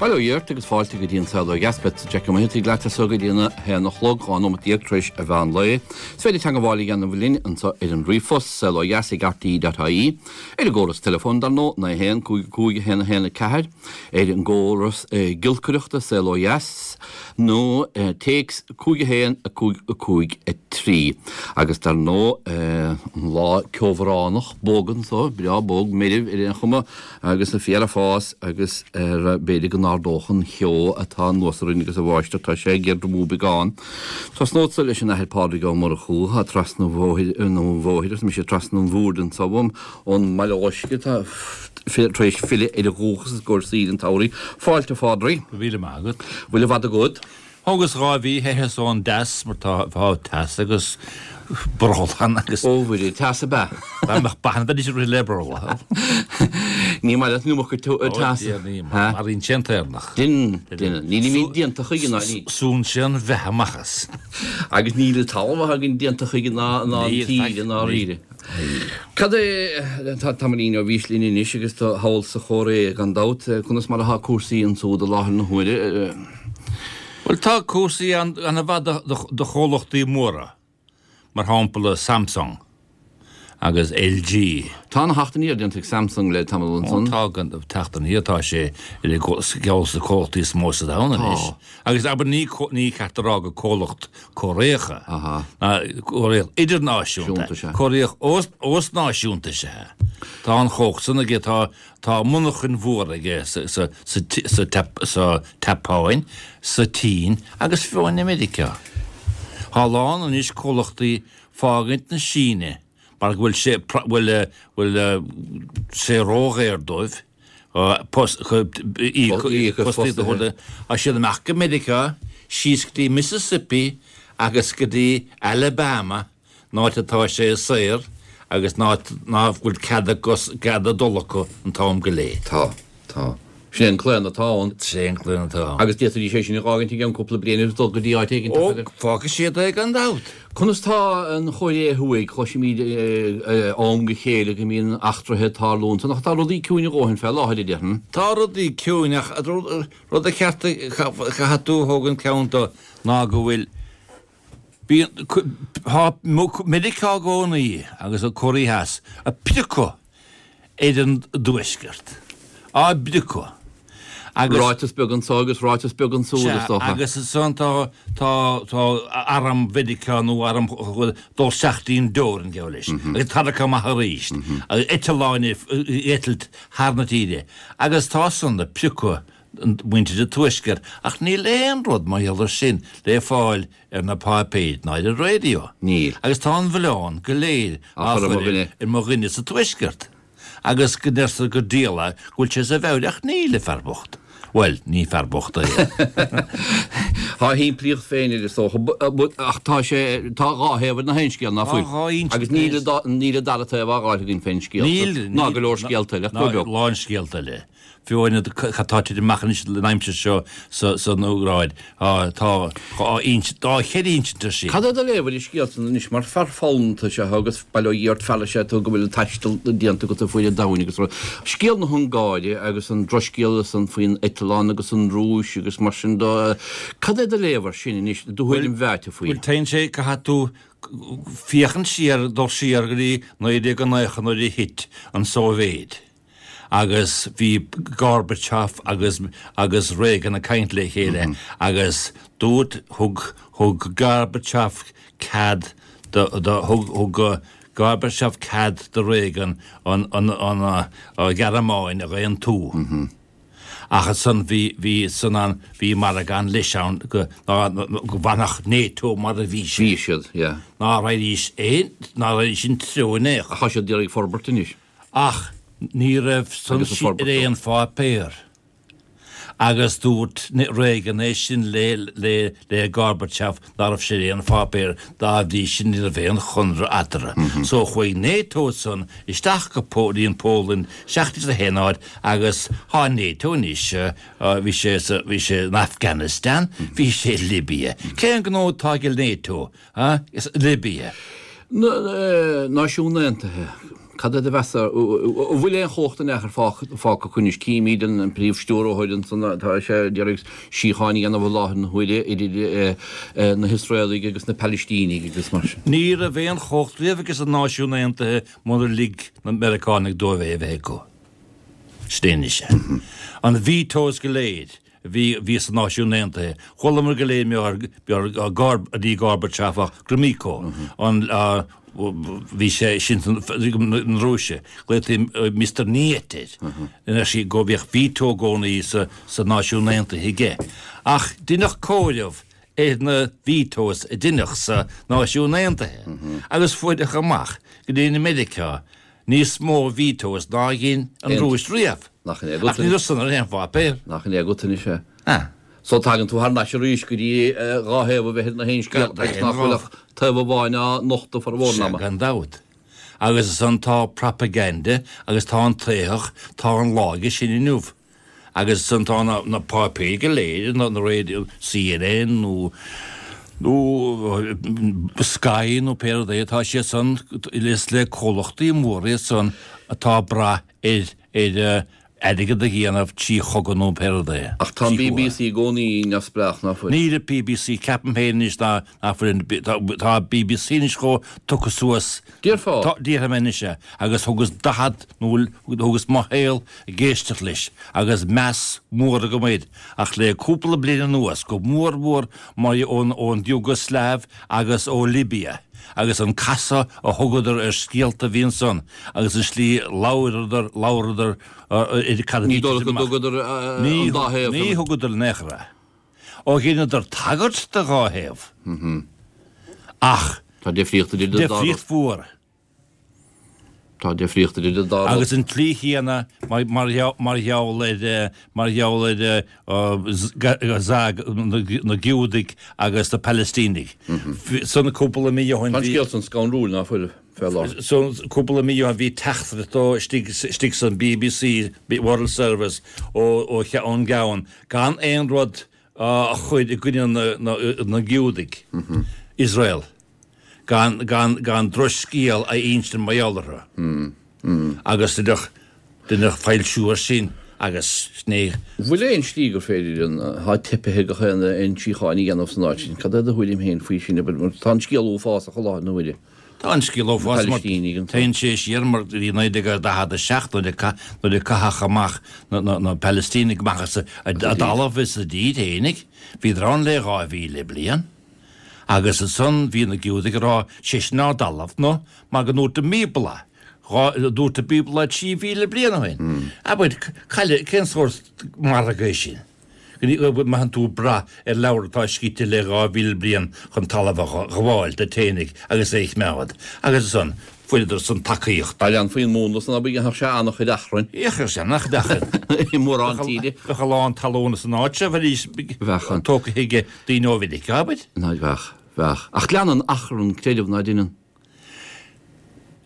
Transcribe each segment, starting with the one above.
Bail ó Dhia ort agus fáilte go dtí an Saol Ó Dheas. Beadsa Jackie Ó Maothaigh leat as so go dtí an 1 a chlog, 12 nóimeat tar éis an mheán lae. Is féidir teangabháil a dhéanamh linn anseo ar an ríomhphost, saolodheas ag rte.ie, ar an gcóras teileafóin dar ndóigh, 9 1 5 5 1 1 4, ar an gcóras giolcaireachta, Saol Ó Dheas, nó téacs 5 1 5 5 3. Agus dar ndóigh, an lá ceobhránach bog anso, breá bog, meirbh ar aon chuma, Agus na fiala ag fás agus ar b'fhéidir go n-ardódh an cheo atá anuas orainn agus a bháisteach tá sé ag éadromú beagán. Tosnódsa leis an Athair Pádraig Ó Murchú atá trasna an bhóthair, nó an bhóthair, arsa mise, trasna an bhoird anso uaim, ón mBaile Loiscthe atá tar éis filleadh ar a dhúchas i gcomhair saoire an tsamhraidh. Fáilte, a Phádraig. Go raibh míle maith agat. Bhfuil i bhfad agat? Thógas 2 mhí theitheas ón dteas mar tá teas agus brothall ann agus. Ó Mhuire, teas ab ea? Dá mbeadh ba ann bheidís ag rith le brothall. Ní maith leat an iomarca teasa. Ó Dia ní, maraíonn sé an t-éirneach. Deineann, deineann. Nílimid déanta chuige ná ní. Súnn sé an bheatha amach as. Agus níl an talamh atá againn déanta chuige ná an tír i ndáiríre. Cad é, tá tamaillín ó bhís linn anois agus tú thall sa Chóiré gan dabht, conas mar atá cúrsaí ansúd i láthair na huaire? Bhuel tá cúrsaí an-mhaith do chomhlachtaí móra, mar shampla Samsung agus LG. Tá ana-theacht aniar déanta ag Samsung le tamall ansan. Ó tá, teacht aniar, tá sé ar cheann de na comhlachtaí is mó sa domhan anois. Agus abair ní ní ceart a rá gur comhlacht Cóiréach é, ná Cóiréach idirnáisiúnta, Cóiréach osnáisiúnta is ea. Tá an chumhacht san aige, tá tá monarchain mhóra aige sa sa sa sa tSeapáin, sa tSín agus fiú amháin i Meiriceá. Tá a lán anois comhlachtaí fágaint na Síne mar go bhfuil sé bhfuil bhfuil sé ródhaor dóibh. Fostaíocht. Tá siad amach go Meiriceá, síos go dtí Mississippi agus go dtí Alabama, an áit atá sé saor agus ná bhfuil cead a gcead a dul acu an t-am go léir. Tá. Tá. Sin é an claonadh atá ann. Sin é an claonadh atá ann. Agus d'fhéadfaidís é sin a dh'fhágaint i gceann cúpla bliain agus dul go dtí áit éigin Ó, fágfaidh siad é gan dabht. Conas tá an Chóiré Thuaidh? Cloisimid ó am go chéile go mbíonn eachtraithe ag tarlú ansan, ach tá rudaí ciúin a dhóthain fé láthair, a déarfainn. Tá rudaí ciúin ach rud a cheart caithfidh tú a thógaint ceann de ná go bhfuil bíonn tá Meiriceá i gcónaí agus an Cóiré Theas ag priocadh ar an dtuaisceart, á bpriocadh agus. Ráiteas beag anso agus ráiteas beag ansúd, is dócha. Agus ansan tá, tá, tá arm Mheiriceá nó arm dul isteach dtí an dteorainn, geall leis, agus tarrac amach arís, agus eitleáin ag eitilt thar na tíre, agus tá san ag priocadh muintir an tuaiscirt, ach níl aon rud mar gheall air sin le fáil ar na páipéir ná ar an raidió. Níl. Agus tá an mhilleán go léir á chur ar mo dhuine sa tuaisceart. Agus go ndeirtear gur diabhal é go bhfuil sé sa mheabhair ach níl, a fear bocht. Bhuel, ní fear bocht é. Tá a shimplíocht féin air is dócha. Ach tá sé, tá dhá thaobh ar na haon scéal, ná fuil? Tá dhá inse. Agus níl, níl an dara taobh á dh'fháil againn fén scéal. Níl. Ná go leor scéalta eile, ach go beag. Ná lán scéalta eile. Fiú amháin cad tá ag titim amach anois an aimsir seo san Úcráin, tá dá cheithre insint ar sin. Cad é do léamh ar an scéal san anois mar fear foghlamtha is ea thú agus bail ó Dhia ort fear is ea tú go bhfuil an taisteal déanta agat ar fuaid an domhain agus rud. Scéal na hUngáire agus an drochscéal san faoin eitleán agus an Rúis agus mar sin de, cad é do léamh ar sin anois, do thuairim mheáite faoi? Bhuel, téann sé, caithfidh tú féachaint siar, dul siar go dtí 1990 nuair a thit an tSóivéid. agus bhí Gorbachev agus agus Reagan ag caint le chéile agus dúirt, thug, thug Gorbachev cead do, do, thug, thug Gorbachev cead do Reagan an, an, an Ghearmáin a aontú. Ach ansan bhí, bhí san an, bhí margadh ann leis ann go, ná, go bhfanfadh NATO mar a bhí sé. Bhí siad, yeah. Ná raghaidís aon, ná raghaidís an treo in aon chor. Ach tá siad d'iarraidh forbairt anois. Ach ní raibh san ar aon pháipéar. Agus dúirt Reagan é sin le le Gorbachev ná raibh sé ar aon pháipéar, dá bhrí sin ní raibh aon chonradh eatarthu. So chuaigh NATO san isteach go dtí an Pholainn, isteach dtí na haon áit agus tá NATO anois, bhí sé sa, bhí sé in Afghanistan, bhí sé i Libya. Cén gnó atá ag NATO? Libia. Na Náisiúin Aontaithe, cad é do mheas, an bhfuil aon chumhacht in aon chor fágtha acu anois? Címid an príomh-stiúrthóir ansan, tá sé ag iarraidh síocháin a dhéanamh i láthair na huaire idir na hIosraelaigh agus na Palaistínigh agus mar sin. Ní raibh aon chumhacht riamh aige sna Náisiúin Aontaithe munar lig na Meiriceánaigh dóibh é a bheith acu. Sin é anois é. An vetoes go léir a bhí bhí sna Náisiúin Aontaithe, chualamar go léir mar Gor, ní Gorbachev ach Gromyko, an bhí sé sin na Rúise, glaotaí Mister Niet air, ina sí go bhíodh veto i gcónaí sa sa Náisiúin Aontaithe aige. Ach deineadh comhaireamh ar na vetoes a deineadh sa Náisiúin Aontaithe agus fuaireadh amach go ndein Meiriceá níos mó vetoes ná a dhein an Rúis riamh. Nach in é agat Ach ní raibh san ar aon pháipéar. Nach in é agat anois é. Ah. So tagann tú thar n-ais arís go dtí dhá thaobh a bheith ar na haon scéal agus nach bhfuil ach taobh amháin á nochtadh formhór an ama. Sea, gan dabht. Agus ansan tá propaganda agus tá an t-éitheach, tá an lá aige sin inniu. Agus ansan tá na páipéir go léir, na raidió, CNN nó nó Sky nó pé rud é, tá siad san, is le comhlachtaí móra iad san atá ag brath ar ar airgead a dhéanamh trí chogadh nó pé rud é. Ach tá an BBC i gcónaí neamhspleách, ná fuil? Níl an BBC, ceapaim féin anois ná nach bhfuil an, tá an BBC anois chomh tugtha suas. Déarfá? Tá, déarfaidh mé anois é. Agus thugas 40 nó thugas mo shaol ag éisteacht leis agus meas mór agam air ach le cúpla bliain anuas, go mór mhór mar ón ón Iúgaslaiv agus ó Libia agus an casadh a thugadar ar scéalta a bhí ansan agus an slí labhradar labhradar ar cad a bhí Ní dóigh go dtugadar an dá thaobh. Ní thugadar in aon chor é. Ó dheineadar tagairt do dhá thaobh ach Tá difríocht idir an dá rud. Difríocht mhór. Tá difríocht idir an dá rud. Agus an tslí chéanna mar gheall ar mar gheall ar Gaza na Giúdaigh agus na Palaistínigh. San cúpla mí ó shin bhí. Tá an scéal san scanrúil, ná fuil, fé láthair. San cúpla mí ó shin bhí teachtaireacht ó istigh istigh san BBC, World Service, ó ón gceann gan aon rud a chur i gcoinne na Giúdaigh, Iosrael. gan, gan, gan drochscéal a insint mar gheall orthu. Agus deineadh, deineadh foilsiú air sin agus ní. Bhfuil aon slí gur féidir an, tá teipithe ag gach aon aon síocháin a dhéanamh san áit sin. Cad é do thuairim féin faoi sin, abair, mar tá an scéal uafásach i láthair na huaire. Tá an scéal uafásach mar téann sé siar mar go dtí 1947 nuair a, nuair a caitheadh amach na, na, na Palaistínigh amach as a, a dtalamh is a dtír fhéinig. Bhíodar ann le 2,000 bliain. Agus ansan bhí na Giúdaigh ag rá, 'Sé sin ár dtalamh, nó mar go ndúirt an mBíobla, dúirt an Bíobla 3,000 bliain ó shin. Abair, caille, cén sórt margadh é sin? Go mbeadh tú ag brath ar leabhar atá scríte le 2,000 bliain chun talamh a ghabháil duit fhéinig agus é a choimeád. Agus ansan, fuaireadar san tacaíocht. Dá leanfaí an múnla san, abair, dhéanfadh sé an-chuid achrainn. Dhéanfadh sé an-chuid achrainn. I mórán tíre. Bheadh a lán talún san áit seo, bheidís tógtha ag daoine ó Mheiriceá, abair. Ná bheadh, bheadh. Ach leanann achrann creideamh, ná deineann?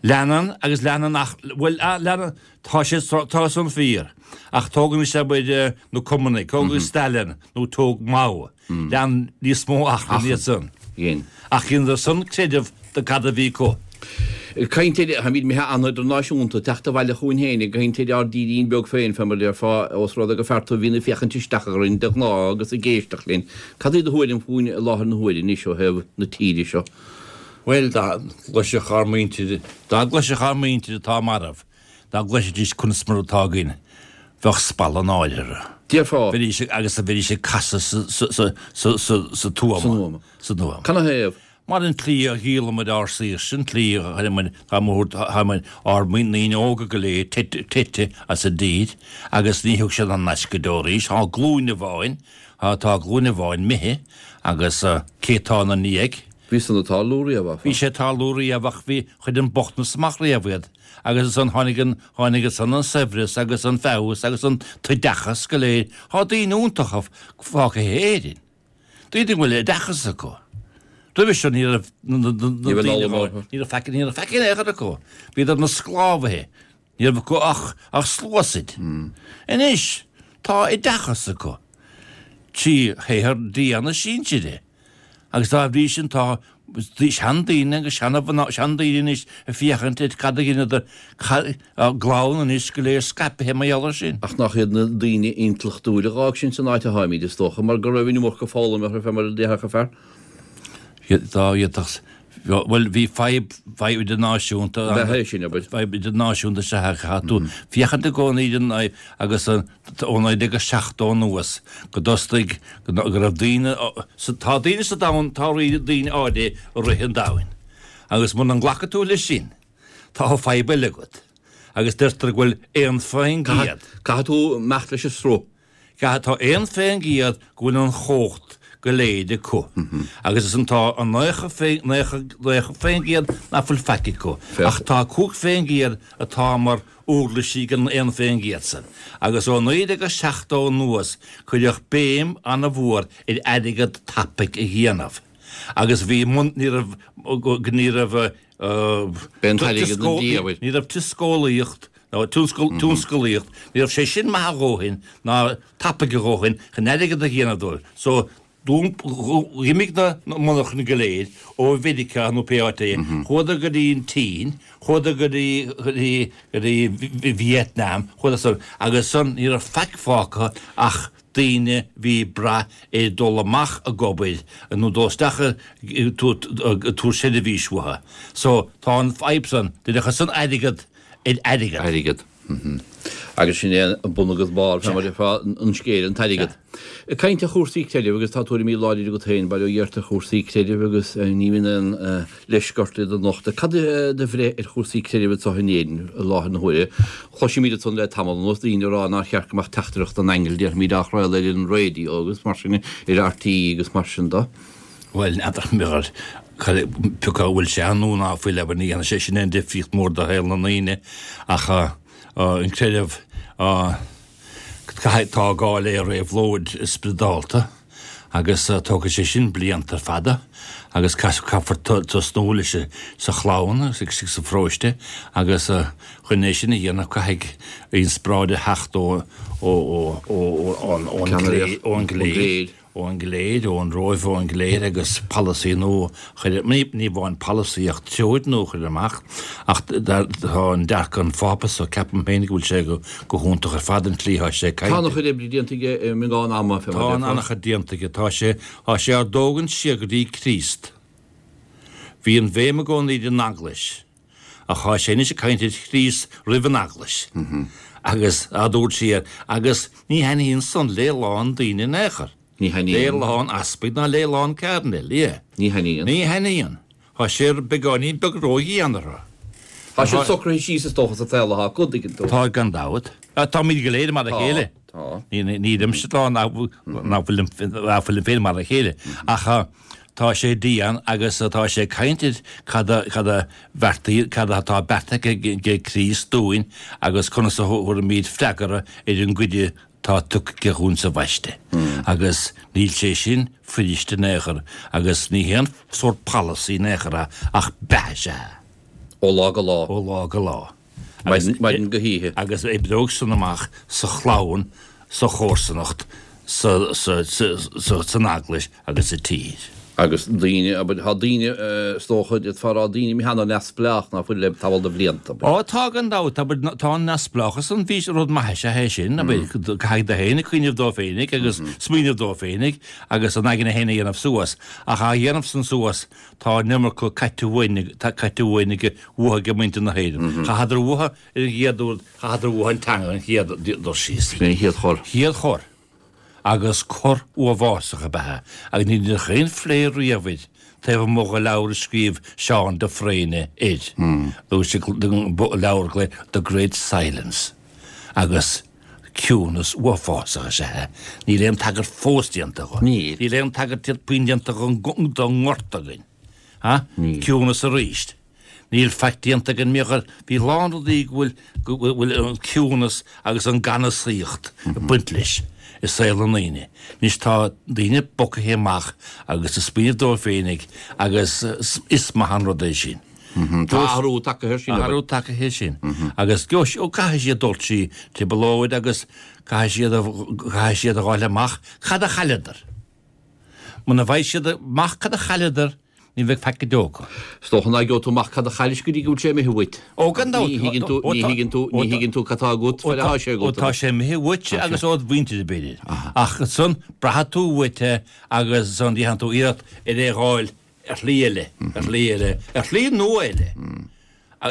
Leanann agus leanann ach, bhuel, leanann, tá sé, tá san fíor. Ach tóg anois, abair, na Cumannaigh, tóg Stalin nó tóg Mao. Lean níos mó achrainn iad san. Dhein. Ach dheineadar san creideamh de cad a bhí acu. Ag caint ar, táimid imithe an-idirnáisiúnta, teacht abhaile chugainn féin, ag caint ar ár dtírín beag féin, fé mar a déarfá, ós rud é gur fear tú a bhíonn ag féachaint isteach orainn de ghnáth agus ag éisteacht linn. Cad í do thuairim fúinn i láthair na huaire anois ó thaobh na tíre seo? Bhuel, dá gcloisfeadh ár muintir, dá gcloisfeadh ár muintir atá marbh, Dá gcloisfidís conas mar atá againn, bheadh spalladh náire orthu. Déarfá. Bheidís ag, agus bheidís ag casadh sa, sa, sa, sa, sa, sa tuama. San uama. San uama. Canathaobh? Mar an tslí a dhíolamair ár saoirse, an tslí a chuireamair, tá mo, tá muid, ár ndaoine óga go léir teite, teite as an dtír agus ní thiocfaidh siad thar n-ais go deo arís. Tá glúin amháin, tá, tá glúin amháin imithe agus cé tá ina ndiaidh? Bhí san ag tarlú riamh, áfach. Bhí sé ag tarlú riamh ach bhí, chuir an bochtanas amach riamh iad. Agus ansan tháinig an, tháinig ansan an saibhreas agus an feabhas agus an t-oideachas go léir. Tá daoine iontacha fágtha in Éirinn. Daoine go bhfuil oideachas acu. Roimhe seo ní raibh na, na, na, na daoine, ní raibh faic, ní raibh faic in aon chor acu. Bhíodar ina sclábhaithe. Ní raibh acu ach, ach sluasaid. Anois tá oideachas acu. Trí shaothar dian a sinsire. Agus dá bhrí sin tá. Seandaoine agus seana-mhná, seandaoine anois ag féachaint ar cad a dheineadar, a gclann anois go léir scaipthe mar gheall air sin. Ach nach iad na daoine intleachtúil a dh'fhág sin san áit a tháimid, is dócha, mar go raibh an iomarca foghlama orthu fé mar a déarfadh an fear. Dá bhféadfadh, bhuel, bhí fadhb, fadhb idirnáisiúnta ann. Bheadh é sin, abair. Fadhb idirnáisiúnta is ea caithfidh tú féachaint i gcónaí ar an fhadhb agus an, ó 1970 anuas, go dtostaigh, go raibh daoine, tá daoine sa domhan, tá daoine áirithe i rith an domhain. Agus muna nglacfaidh tú leis sin, tá fadhb eile agat. Agus deirtear go bhfuil 1%. Caithfidh tú imeacht leis an sruth. Caithfidh, tá 1% go bhfuil an chumhacht go léir acu. Agus ansan tá an 90% nach bhfuil faic acu. Ach tá 5% atá mar uirlisí ag an 1% san. Agus ó 1970 anuas cuireadh béim an-mhór ar airgead tapaidh a dhéanamh. Agus bhí, ní raibh, ní raibh, B'é an t-airgead an dia, abair. Ní raibh tionscalaíocht, nó tionscalaíocht, ní raibh sé sin maith a dhóthain, ná tapaidh a dhóthain chun airgead a dhéanamh dóibh. So, d'imigh na monarchana go léir ó Mheiriceá nó pé áit é, chuadar go dtí an tSín, chuadar go dtí, go dtí, go dtí Vietnam, chuadar san, agus san ní raibh faic fágtha ach daoine bhí ag brath ar dul amach ag obair nó dul isteach ag tabhairt seirbhís uathu. So tá an fadhb san, d'fhéadfadh san airgead ar airgead. Airgead. Agus sin é an bun agus barr, fé mar a déarfá, an scéil, an t-airgead. Ag caint ar chúrsaí creidimh, agus tá tuairimí láidre agat féin, bail ó Dhia ort ar chúrsaí creidimh agus ní bhíonn aon leisce ort iad a nochtadh. Cad é do bhreith ar chúrsaí creidimh anseo in Éirinn i láthair na huaire? Cloisimid ansan le tamall anuas daoine ag rá nár cheart go mbeadh teachtaireacht an aingil, déarfaimid, á chraoladh ar an raidió agus mar sin, ar RTÉ agus mar sin de. Bhuel, n'fheadar, n'fheadar pé acu an bhfuil sé ann nó ná fuil, abair, ní dhéanfaidh sé sin aon difríocht mhór do shaol na ndaoine ach an creideamh, Caithfidh, tá gá le réabhlóid spioradálta agus tógfaidh sé sin blianta fada agus caithfear tosnú leis sa chlann agus sa pharóiste agus chun é sin a dhéanamh caithfidh inspioráid a theacht ó ón gcléir. Ón gcléir, ón Róimh, ón gcléir agus polasaí nua a chur, ní amháin polasaí ach treoir nua a chur amach ach tá an dearcadh an Phápa so ceapaim féin go bhfuil sé go hiontach ar fad an tslí atá sé ag caint. Tá an-chuid oibre déanta aige i mbeagán ama, fé mar a déarfá. Tá an-chuid déanta aige. Tá sé, tá sé ár dtógaint siar go dtí Críost. Bhí an bhéim i gcónaí ar an Eaglais. Ach tá sé anois ag caint ar Chríost roimh an Eaglais agus á dtabhairt siar agus ní thaitníonn san le lán daoine in aon chor. Ní thaitníonn. Le lán easpaig ná le lán cairdinéil, yeah. Ní thaitníonn. Ní thaitníonn. Tá sé beagáinín beag ródhian orthu. Tá siad socraithe síos is dócha sa tsaol atá acu, tuigeann tú. Tá gan dabht. Táimid go léir mar a chéile. Tá. Nílimse ag rá nach bhfuilim féin mar a chéile. Ach Tá sé dian agus tá sé ag caint ar cad a cad a bheartaigh cad atá beartaithe ag Críost dúinn agus conas a thabharfaimid freagra ar an gcuireadh atá tugtha aige dhúinn sa bhaiste. Agus níl sé sin fuirist in aon chor agus ní haon sórt polasaí in aon chor é ach beatha is ea é. Ó lá go lá. Ó lá go lá. Maidin go hoíche. Agus oibreoidh san amach sa chlann, sa chomharsanacht, san eaglais agus sa tír. Agus daoine, abair, tá daoine, is dócha, d'fhéadfá a rá, daoine imithe an-neamhspleách ná fuil le tamall de bhlianta, abair. Ó, tá gan dabht, abair, tá an neamhspleáchas an, bhí, rud maith is ea é sin, abair, caithfidh tú féin cuimhneamh dó féinig agus smaoineamh dó féinig agus an aigne féin a dhéanamh suas, ach á dhéanamh san suas, Tá an iomarca caite uainn, caite uainn ag, uathu ag muintir na hÉireann. Chaitheadar uathu ar an gcéad uair, chaitheadar uathu an teanga an chéad dul síos. Sin é an chéad chor. Chéad chor. Agus cor uafásach ab ea é. Agus ní deineadh aon phlé riamh air taobh amuigh de leabhar a scríobh Seán de Fréine air. Dúirt sé leabhar go The Great Silence. Agus. Ciúnas uafásach is ea é. Níl aon tagairt fós déanta dho. Níl. Níl aon tagairt puinn déanta don ngorta againn. Ha? Níl. Ciúnas arís. Níl faic déanta againn mar gheall, bhí a lán rudaí go bhfuil, go bhfuil an ciúnas agus an ganasaíocht ag baint leis i saol na ndaoine. Anois tá daoine bogtha amach agus ag smaoineamh dóibh féinig agus is maith an rud é sin. Tá athrú tagtha air sin. Athrú tagtha air sin. Agus caithfidh siad dul trí trioblóid agus caithfidh siad caithfidh siad a dh'fháil amach cad a chailleadar. Muna bhfaighidh siad amach cad a chailleadar. Ní bheidh faic go deo acu. Is dócha ná gheobhaidh tú amach cad a chaillis go dtí go bhfuil sé imithe uait. Ó, gan dabht. Ní thuigeann tú, ní thuigeann tú, ní thuigeann tú cad tá agat fad atá sé agat. Ó, tá sé imithe uait agus ód mhuintir, b'fhéidir. Ach ansan, braithfidh tú uait é agus ansan déanfaidh tú iarracht ar é a dh'fháil ar shlí eile, ar shlí eile, ar shlí nua eile.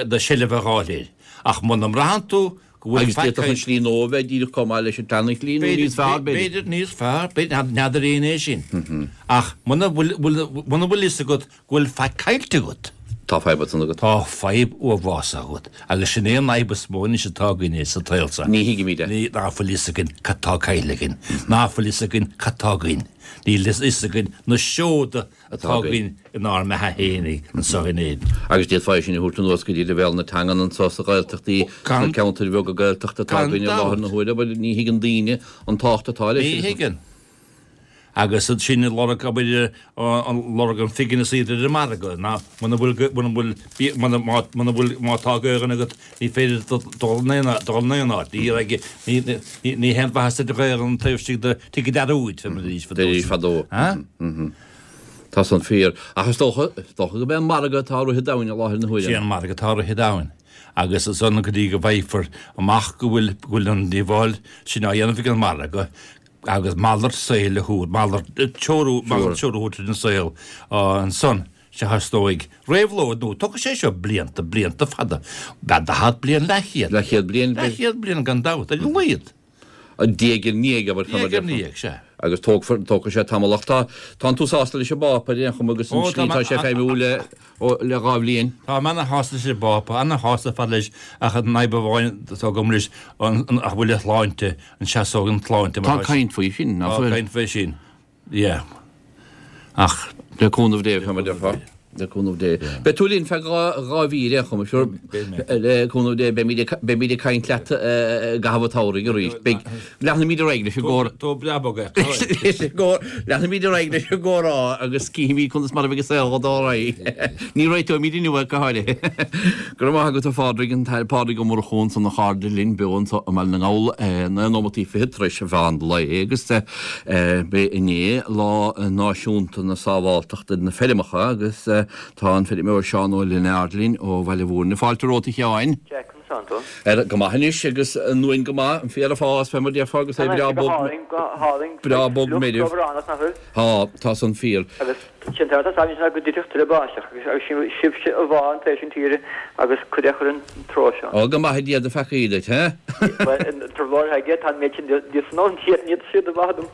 Do sheilbh a dh'fháil air. Ach muna mbraitheann tú go bhfuil Agus faic d'fhéadfadh an slí nua a bheith díreach chomh maith leis an tseana-shlí nó níos fearr, b'fhéidir. B'fhéidir níos fearr, b'fhéidir, n'fheadar éinne é sin. Ach muna bhfuil, muna bhfuil fhios agat go bhfuil faic caillte agat. Tá fadhb ansan agat. Tá fadhb uathbhásach agat. Agus sin é an fhadhb is mó anois atá againne sa tsaol seo. Ní thuigimid é. Ní, ná fuil fhios againn cad tá caillte againn. Ná fuil fhios againn cad tá againn. Níl fhios againn na seoda atá againn inár mbeatha fhéinig anseo in Éirinn. Agus d'fhéadfá é sin a thabhairt anuas go dtí leibhéal na teangan anseo sa Ghaeltachtaí, sna ceantair bheaga Gaeltachta atá againn i láthair na huaire, but ní thuigeann daoine an tábhacht atá leis. Ní thuigeann. Agus sinn ag lorg, abair, lorg an phingin is iad ar an margadh, ná muna bhfuil, muna bhfuil, muna, muna bhfuil, má tá Gaelainn agat, ní féidir dul in aon, dul in aon áit. Ní raibh, ní, ní, ní haon mhaitheas duit Gaelainn taobh istigh de tigh an dearúid, deiridís fadó. Ha? Tá san fíor. Ach is dócha, is dócha gurb é an margadh atá ag rith an domhain i láthair na huaire. Sé an margadh atá ag rith an domhain. Agus ansan go dtí go bhfaighfear amach go bhfuil, go bhfuil an díobháil sin á dhéanamh ag an margadh, agus malairt saoil a thabhairt, malairt, treorú, malairt treorú a thabhairt ar an saol ansan, sea is dóigh. Réabhlóid nua, tógfaidh sé seo blianta, blianta fada, daichead bliain, leathchéad. Leathchéad bliain. Leathchéad bliain gan dabht, ar a laghad. Diaidh ar ndiaidh, abair, fá mar Diaidh ar ndiaidh, sea. Agus tógfar, tógfaidh sé tamall ach tá, tánn tú sásta leis an bPápa ar aon chuma agus an slí atá sé ag feidhmiú le, le dha bhliain. Táim ana-shásta leis an bPápa, ana-shásta ar fad leis ach an fhadhb amháin atá agam leis, an, an, an bhfuil a shláinte, an seasóidh an tsláinte mar Tá caint faoi sin, nach bhfuil? Tá caint faoi sin, yeah. Ach. Le cúnamh Dé, fá mar a déarfá. Le cúnamh Dé. Beidh tú linn feadh dha mhí ar aon chuma, sure. Le cúnamh Dé, beimid ag, beimid ag caint leat i gcaitheamh an tsamhraidh arís. Beidh, leanfaimid ar aghaidh leis an gcomhrá. Tó breá bog é. Leis an gcomhrá, leanfaimid ar aghaidh leis an gcomhrá agus cífimid conas mar a bheidh an saol ag dul ar aghaidh. Ní réiteoimid inniu é go háirithe. Go raibh maith agat a Phádraig, an tAthair Pádraig Ó Murchú ansan a chairde linn beo anso i mBaile na nGall, 9 nóimeataí fichead tar éis mheán lae agus b'é inné Lá Náisiúnta na Sábháltachta ar na Feirmeacha agus tá an feirmeoir Seán Ó Lionáird linn ó Bhaile Mhúirne. Fáilte romhat a Sheáin. Jack, conas tánn tú? Ar, go maith anois agus an uain go maith, an féar ag fás fé mar déarfá agus é breá bog, breá bog meirbh. Tá, tá san fíor. Agus sin tá tá sin go dtitfeadh tuilleadh báisteach agus sin sibhse a bhá an taobh sin tíre agus cuid é chur an treo seo. Ó, go maithe Dia do pheacaí duit, he? Bhuel, an trioblóid aige, tá an méid sin díot san ann, níl siad i bhfad dom.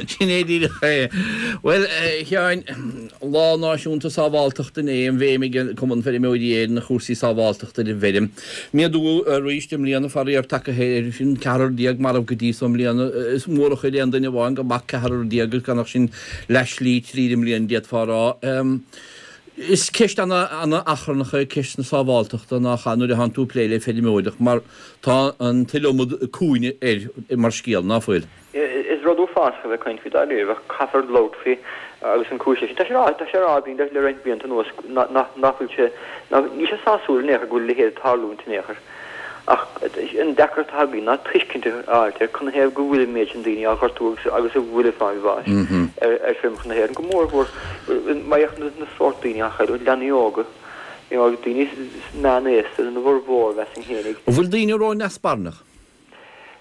Sin é díreach é. Bhuel, a Sheáin, Lá Náisiúnta Sábháilteachta inné, an bhéim ag Cumann Feirmeoirí Éireann ar chúrsaí sábháilteachta ar an bhfeirm. Méadú arís i mbliana, faraor, tagtha air sin, ceathrar déag marbh go dtí so i mbliana. Is mór an choir aon duine amháin go mbeadh ceathrar déag agus gan ach sin leath slí tríd an mbliain, d'fhéadfá a rá. Is ceist ana-achrannach é ceist na sábháilteachta, nach ea, nuair a thánn tú ag plé le feirmeoireacht, mar tá an t-iliomad cúinne air mar scéal, ná fuil? Is rud uafásach a bheith ag caint faoi dáiríre, ach caithfear labhairt faoi agus an cúis leis sin. Tá sé tá sé á rá againn le roinnt blianta anuas nach bhfuil sé, níl sé sásúil in aon chor go bhfuil a leithéid ag tarlúint in aon chor. Ach an deacracht atá againn ná tuiscint a fháilt ar canathaobh go bhfuil an méid sin daoine á ghortú agus agus a bhfuil ag fáil bháis ar feirmeacha na hÉireann, go mór mhór má fhéachann na sórt daoine á chailleadh, leanaí óga, you know, daoine meánaosta ina bhformhór, mheasfainn fhéinig. An bhfuil daoine ró-neasbarainneach?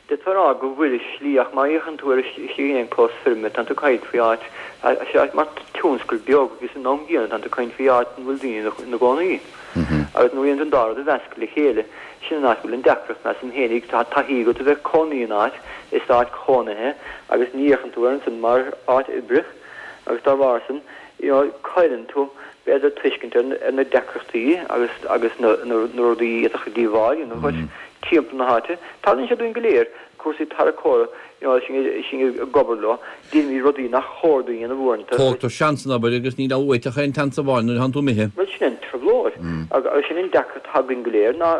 D'fhéadfá a rá go bhfuil i slí ach má fhéachann tú ar istigh in aon chlós feirme tánn tú ag caint faoi áit, áit mar tionscal beag agus san am gcéanna tánn tú ag caint faoi áit ina bhfuil daoine ina gcónaí. Agus nuair a dhéanann tú an dá rud a mheascadh le chéile, sin an áit a bhfuil an deacracht, measaim fhéinig. Tá taithí agat a bheith ag cónaí in áit, is áit chónaithe agus ní fhéachann tú air ansan mar áit oibre agus dá bharr san, you know, cailleann tú, b'fhéidir, tuiscint ar ar na deacrachtaí agus agus na na rudaí a d'fhéadfadh díobháil a dhéanamh dhuit timpeall na háite. Tarlaíonn sé dúinn go léir, cúrsaí tarracóra, you know, sinn sinn ag obair leo, déanaimid rudaí nach chóir dúinn a dhéanamh uaireanta. Tógtar seans san obair agus níl uait ach aon tseans amháin nuair atánn tú imithe. Bhuel, sin an trioblóid agus sin an deacracht atá againn go léir ná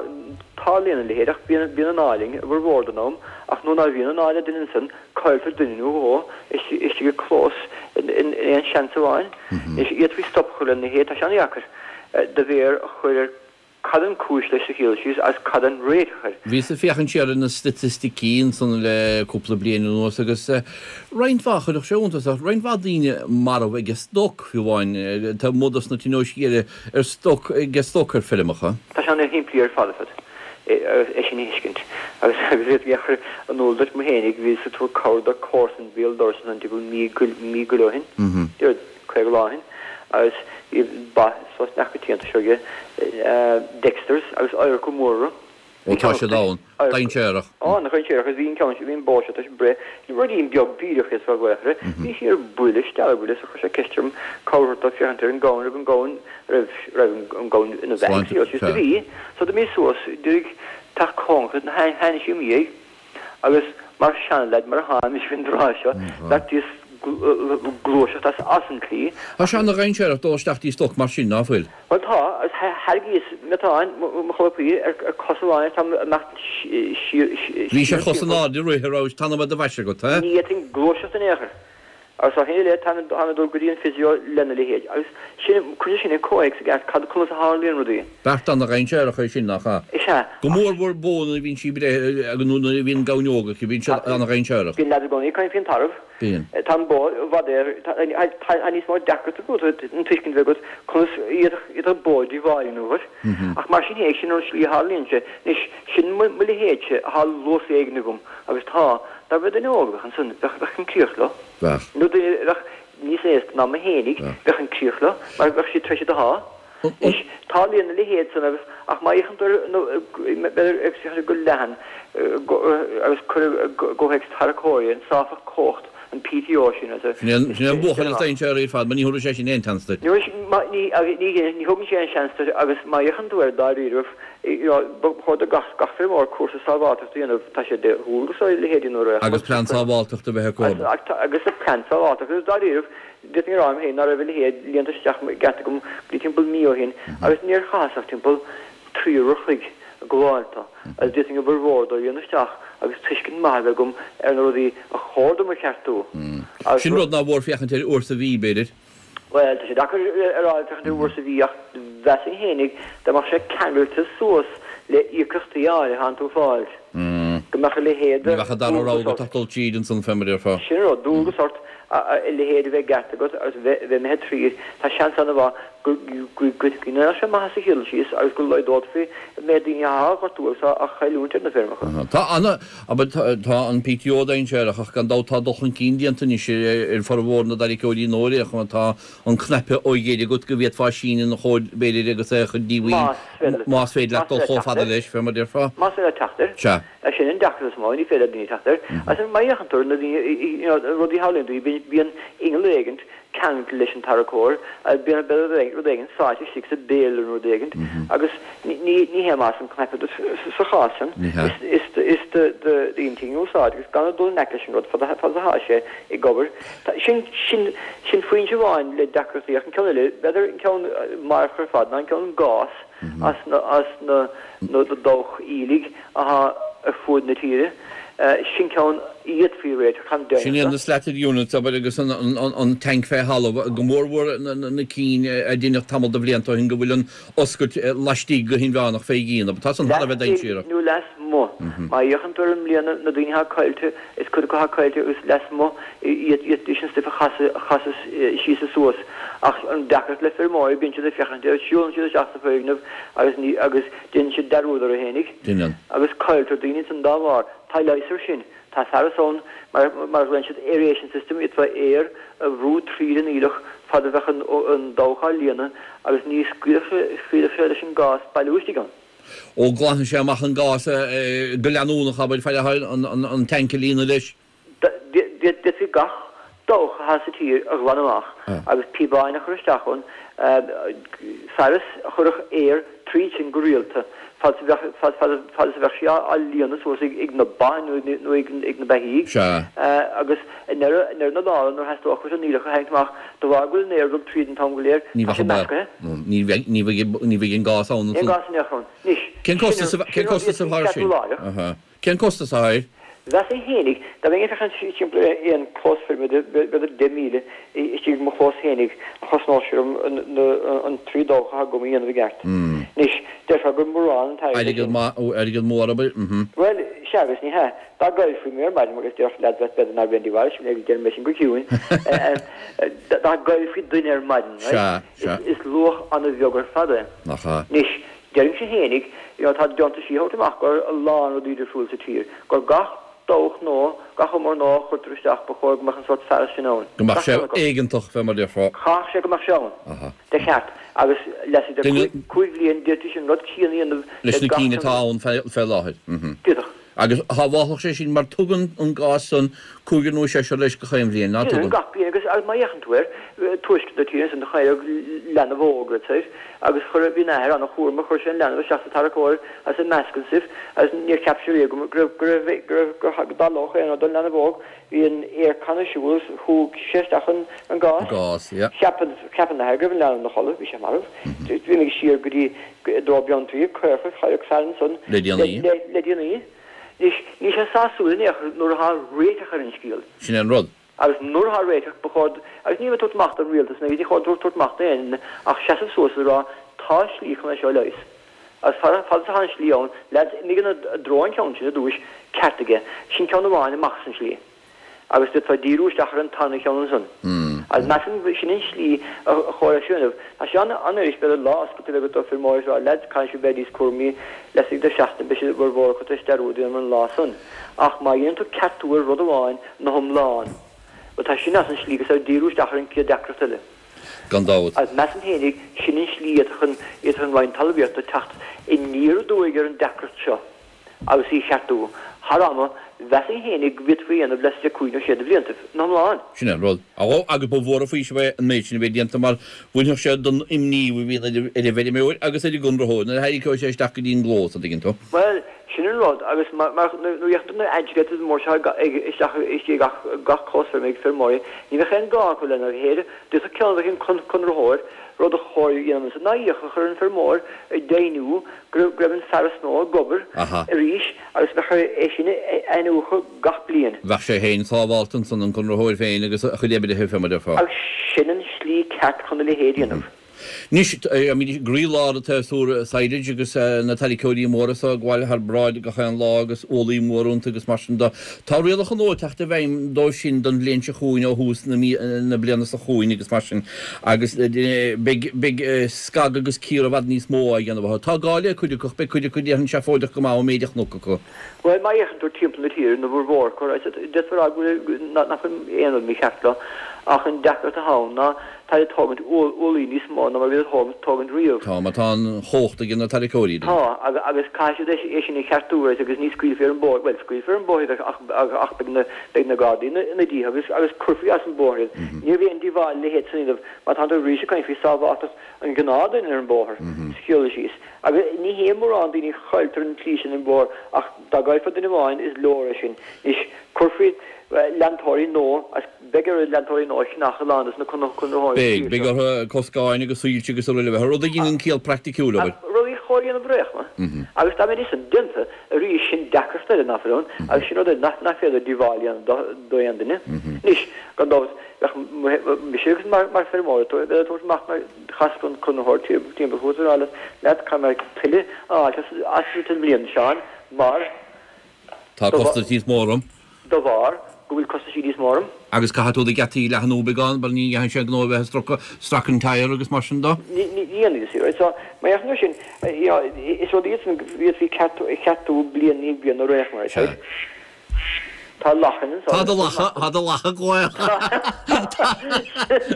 tarlaíonn a leithéid ach bíonn bíonn an ádh linn i bhformhór den am ach nuair ná bhíonn an ádh le duine ansan, Cailltear duine nó dhó istigh i gclós in aon seans amháin. Anois, d'fhéadfaí stop a chur lena leithéid, tá sé an-dheacair do mhéar a chur ar. Cad an cúis leis sa chéad dul síos agus cad an réiteach air? Bhíos ag féachaint siar ar na staitisticí ansan le cúpla bliain anuas agus roinnt mhaith, chuirfeadh sé iontas ort, roinnt mhaith daoine marbh ag stoc, fiú amháin, taobh amuigh dos na tionóiscí eile ar stoc, ag stoc ar feirmeacha. Tá sé ana-shimplí ar fad ar fad é sin a thuiscint agus d'fhéadfainn a chur in iúl duit mé fhéinig, bhíos ag tabhairt cabhair do comharsan béal dorais ansan timpeall mí go leith ó shin. 50 lá ó shin agus bhí ba suas neamhchoitianta seo aige, Dexters, agus adharca mór orthu. Ó tá siad ann, dainséarach. Á, ana-dhainséarach agus bhí an ceann seo, bhí an bó seo tar éis breith, ruidín beag díreach é sa ghaothra, bhí sí ar buile, steallbhuile so chuir sé ceist orm cabhair a thabhairt dó féachaint ar an gamhain, raibh an gamhain, raibh, raibh an gamhain ina bheathaidh, síos, do bhí, so d'imíos suas, d'éirigh teach cóngarach, tháinig sí im dhiaidh. Agus mar sheanleaid mar atháim faoin dtráth seo, bheartaíos gluaiseacht as as an tslí. Tá sé ana-dhainséarach dul isteach dtí stoc mar sin, ná fuil? Bhuel tá, agus thairringíos miotáin mo cholpaí ar cos amháin agus táim ag imeacht siar siar. Bhís ar chos in airde rith a raibh t-anam ar do bhais agat, eh? Ní fhéadfainn gluaiseacht in aon chor. Agus ó shin i leith táim ag dul go dtí an physio lena leithéid. Agus sin, cuireann sin i comhthéacs i gceart cad, conas a tharlaíonn rudaí. Beart ana-dhainséarach é sin, nach ea? Is ea. Go mór mhór bó nuair a bhíonn sí ag breith agus nó nuair a bhíonn gamhain óg aici, bíonn siad ana-dhainséarach. Bíonn leaid i gcónaí ag caint faoin tarbh. Bíonn. Tá an bó i bhfad air, tá níos mó deacracht agat an tuiscint a bheith agat conas iad bó díobháil in uair. Ach mar sin féin, sin an slí a tharlaíonn sé. Anois, sin mo leithéidse atá luas éigin agam agus tá, dá mbeadh duine óg a bheadh ansan, bheadh, bheadh an críoch leo. Bheadh. Nó duine a bheadh níos aosta ná mé fhéinig, bheadh an críoch leo, mar bheadh siad tar éis iad a shá. Anois, tarlaíonn a leithéid san agus, ach má fhéachann tú ar, nó, b'fhéidir ag féachaint go leathan, agus cur i gcomhthéacs tarracóirí, an sáfach cumhacht, an PTO sin, is, Sin é an, sin é an buachaill is dainséaraí ar fad, mar ní thabharfaidh sé sin aon tseans duit. Ní, ní, ní, ní thugann sé aon seans duit agus má fhéachann tú air dáiríribh, Ba chóir do gach feirmeoir cúrsa sábháilteachta a dhéanamh, tá sé de dhualgas ar a leithéidí nuair a. Agus plean sábháilteachta a bheith acu. Agus plean sábháilteachta. Agus dáiríribh, d'fhéadfainn a rá liom féin ná raibh a leithéid líonta isteach i gceart agam go dtí timpeall mí ó shin agus níor chaitheas ach timpeall 3 uair a chloig ag gabháil dó agus d'fhéadfainn obair mhór dó a líonadh isteach agus tuiscint maith a bheith agam ar na rudaí a chóir dom a cheartú. Sin rud nár mhór féachaint air uair sa mhí, b'fhéidir. Bhuel, tá sé deacair a rá féachaint air uair sa mhí ach mheasfainn fhéinig dá mbeadh sé ceangailte suas le íocaíochtaí áirithe atánn tú ag fáil, go mbeadh a leithéid de Ní bheadh an dara rogha agat ach dul tríd ansan fé mar a déarfá. Sin an rud, dualgas ort a leithéid a bheith i gceart agat agus bheith imithe tríd. Tá seans an-mhaith go ndéanfadh sé maitheas sa chéad dul síos agus go laghdófaí an méid daoine atá á ghortú agus á chailliúint ar na feirmeacha. Tá ana. Abair, tá an PTO dainséarach ach gan dabht tá dul chun cinn déanta anois ar formhór na dtarraiceoirí nua ar aon chuma. Tá an cnaipe ó dheire agat go bhféadfá síneadh ina chomhair b'fhéidir agus é a chur díomhaoin más féidir leat dul chomh fada leis, fé mar a déarfá. Más féidir leat teacht air. Sea. Sin an deacracht is mó, ní féidir le daoine teacht air. Agus má fhéachann tú ar na daoine, you know, rudaí a tharlaíonn dóibh, bíonn inneall éigint ceangailte leis an tarracóir, bíonn rud éigin sáite istigh sa bhéal nó rud éigin agus ní hé maitheas an cnaipe duit sa chás sin. Is d'intinn a úsáid agus gan dul in aice leis an rud fad atá sé ag obair. Sin sin foinse amháin le deacrachtaí ach an ceann eile, b'fhéidir an ceann marfach ar fad ná an ceann gás as na dabhcha aoiligh atá ar fuaid na tíre. Sin ceann a d'fhéadfaí a réiteach, táim deimhneach. Sin iad na slatted units, abair, agus an tanc fé thalamh, go mórmhór na cinn a deineadh tamall de bhlianta ó shin go bhfuil an oscailt laistigh go hinmheánach fé dhíon, abair. Tá san thar a bheith dainséarach. Laistigh nó lasmuigh. Má fhéachann tú ar an mbliana, na daoine atá caillte, is cuid acu atá caillte agus lasmuigh iad sin stuif a chasadh síos is suas. Ach an deacracht le feirmeoirí, bíonn siad ag féachaint air, siúlann siad isteach sa foirgneamh agus ní, agus déanann siad dearúd orthu fhéinig. Déanann. Agus cailltear daoine ansan dá bharr. Tá leigheas ar sin. Tá fearas ann mar mar a ghlaonn siad aeration system, d'fhéadfá aer a bhrú tríd an aoileach fad a bheadh an dabhach á líonadh agus ní scaoilfeadh sé leis an gás bailiú istigh ann. Ó glanfaidh sé amach an gás go leanúnach, abair, fad atá an tanc ag líonadh leis. D'fhéadfaí gach dabhach atá sa tír a ghlanadh amach agus píobáin a chur isteach ann, fearas a chuirfeadh aer tríd sin go rialta fad is a bheadh, fad is a bheadh sí á líonadh suas ag na ba nó ag na beithígh. Agus i ndeireadh na dála nuair a theastódh uait an aoileach a tharraingt amach, de bharr go bhfuil an aer ag dul tríd an t-am go léir, tá sé meascaithe. Ní bheidh an gás ann ansan. Níl gás in aon chor ann. Anois, sin rud a d'fhéadfaí ceartú láithreach. Cén costas atá air? Mheasfainn fhéinig, dá mbeinn ag féachaint timpeall ar aon chlós feirme de b'fhéidir 10,000 istigh i mo chlós fhéinig, a chosnódh sé orm an trí dabhach atá agam a dhéanamh i gceart. Anois, déarfá gur mórán an t-airgead é sin. Airgead mór, abair. Bhuel, sea agus ní hea. Dá gcaillfí mé ar maidin, agus déarfadh leaids b'fhéidir nár bhrein díobháil, sin é, déarfaidh mé sin go ciúin, dá gcaillfí duine ar maidin, right, is luach an-bheag ar fad é. Nach ea. Anois, deirimse fhéinig, you know, tá deontaisí a thabhairt amach gur a lán rudaí difriúil sa tír, gur gach dabhach nua, gach umar nua a chuirtear isteach, ba chóir go mbeadh an sórt fearas sin ann. Go mbeadh sé éigeantach, fé mar a déarfá. Chaithfeadh sé go mbeadh sé ann. De cheart. Agus laistigh de chúig bhliain d'fhéadfaí an rud céanna a dhéanamh leis na cinn atá ann fé láthair. D'fhéadfadh. Agus shábhálfadh sé sin mar tugann an gás san cúigear nó seisear leis gach aon bhliain, ná tugann? Tugann gach bliain agus má fhéachann tú air, tuaisceart na tíre ansan do cailleadh leanbh óg right soir agus chuir, bhí an athair an-chúramach, chuir sé an leanbh isteach sa tarracóir agus i measc an stuif agus níor cheap sé riamh go raibh, go raibh, go raibh, go dtarlódh aon rud don leanbh óg. Bhí an aircon ar siúl agus shúigh sé isteach an gás. Gás, yeah. Cheap an, cheap an athair go raibh an leanbh ina chodladh, bhí sé marbh. D'imigh siar go dtí, i dtreo Beanntraí, Caorach, cailleadh fear ansan. Le déanaí. Le, le déanaí. Anois, níl sé sásúil in aon chor nuair atá réiteach ar an scéal. Sin é an rud. Agus nuair atá réiteach, ba chóir, agus níl mé ag tabhairt amach don rialtas, ní chóir tabhairt amach d'aon duine ach seasamh suas is a rá, tá slí chun é seo a leigheas. Agus fad is atá an slí ann, leaids, imigh ina dtreo an ceann sin i dtúis, ceart aige, sin ceann amháin amach as an slí. Agus d'fhéadfá díriú isteach ar an tarna cheann ansan. Agus measaim sin an slí a chóir é seo a dhéanamh. Tá sé an-fhuirist, b'fhéidir, lá oscailte a bheith agat do feirmeoirí is a rá, leaids, caithfidh sibh bheith níos cúramaí, laistigh de sheachtain beidh siad bhur bhformhór acu tar éis dearúd a dhéanamh ar an lá san. Ach má dhéanann tú ceartú ar rud amháin ina hiomlán, bhuel tá sin as an slí agus ar díriú isteach ar an chéad deacracht eile. Gan dabht. Agus measaim féinig, sin an slí a d'fhéadfadh an Roinn Talmhaíochta teacht aniar aduaidh ar an deacracht seo agus í a cheartú. Thar ama, mheasfainn féinig go bhféadfaí a dhéanamh laistigh de chúig nó sé de bhliantaibh, ina hiomlán. Sin é an rud. Agus ba mhór an faoiseamh é an méid sin a bheith déanta mar bhainfeadh sé den imní a bhíonn ar an bhfeirmeoir agus ar an gconraitheoir nuair a tharraingeoidh sé isteach go dtí an gclós, an dtuigeann tú. Bhuel, sin an rud, agus mar, nuair a fhéachann tú na agitators mór seo ag, isteach istigh gach, gach clós feirme ag feirmeoirí, ní bheadh aon gá acu lena leithéid, d'fhéadfadh ceann a bheith ag an conraitheoir, rud a chóir a dhéanamh ansan ná iallach a chur ar an bhfeirmeoir deimhniú go raibh, go raibh an fearas nua ag obair arís agus bheadh air é sin a iniúchadh gach bliain. Bheadh sé féin sábhálta ansan, an conraitheoir féin agus a chuid oibrithe, fé mar a déarfá. Agus sin an slí ceart chun a leithéid a dhéanamh. Anois, táimid i gcroílár an tséasúir silage agus na tarraiceoirí móra so ag gabháil thar bráid gach aon lá agus ualaí móra iontu agus mar sin de. Tá rialacha nua ag teacht i bhfeidhm dóibh sin don bhliain seo chugainn ó thús na bliana seo chugainn agus mar sin agus beidh beidh scagadh agus cíoradh i bhfad níos mó á dhéanamh orthu. Tá gá le cuid acu ach beidh cuid acu déarfainn seafóideach go maith ón méid a chonac acu. Bhuel, má fhéachann tú timpeall na tíre, na bhformhór acu, d'fhéadfá a rá go bhfuil, nach bhfuil aon rud mícheart leo, ach an deacracht atá ann ná táid ag tógaint ualaí níos mó ná mar a bhíodar ag tógaint riamh. Tá, mar tá an chumhacht ag na tarraiceoirí. Tá, agus caithfidh siad é sin a cheartú agus ní scaoilfí ar an bóthar, bhuel, scaoilfear ar an bóthar iad ach beidh na, beidh na Gardaí ina ndiaidh agus, agus cuirfí as an bóthar iad. Ní raibh aon díobháil a leithéid san a dhéanamh mar tá tú arís ag caint faoi sábháilteacht an ghnáthduine ar an bóthar, sa chiall síos. Agus ní hé mórán daoine a chailltear an tslí sin ar an bhóthar ach dá gcaillfeá duine amháin is leor é sin. Anois, cuirfí leantóirí nua agus beidh ar leantóirí nua a cheannach a lán dos na conraitheoirí Beidh, beidh orthu coscáin agus soilse agus araile a bheith, rud a dheineann ciall praiticiúil, abair. Rudaí a chóir a dhéanamh ar aon chuma. Agus dá mbeidís san déanta arís sin deacracht eile nach bhfuil ann agus sin rud eile nach féidir díobháil a dhéanamh do aon duine. Anois, gan dabht, bheadh mise agus mar feirmeoir ag tabhairt amach mar Chasfadh an conraitheoir timpeall chugat is a rá leat, leat, caithfidh mé tuilleadh a fháilt asat an bhliain seo mar. Tá costas níos mó orm. De bharr go bhfuil costaisí níos mó orm. Agus caithfidh tú do gheataí a leathnú beagán mar ní dhéanfaidh sé gnó a bheith ag stracadh, stracadh an tyre agus mar sin de. Ní dhéanfaidh, you see, right. So, mar gheall air sin, you know, is rud iad san go bhféadfaí ceartú bliain i ndiaidh bliana ar aon chuma, right. Tá lachain anso. Tá do lacha, tá do lacha glaoch.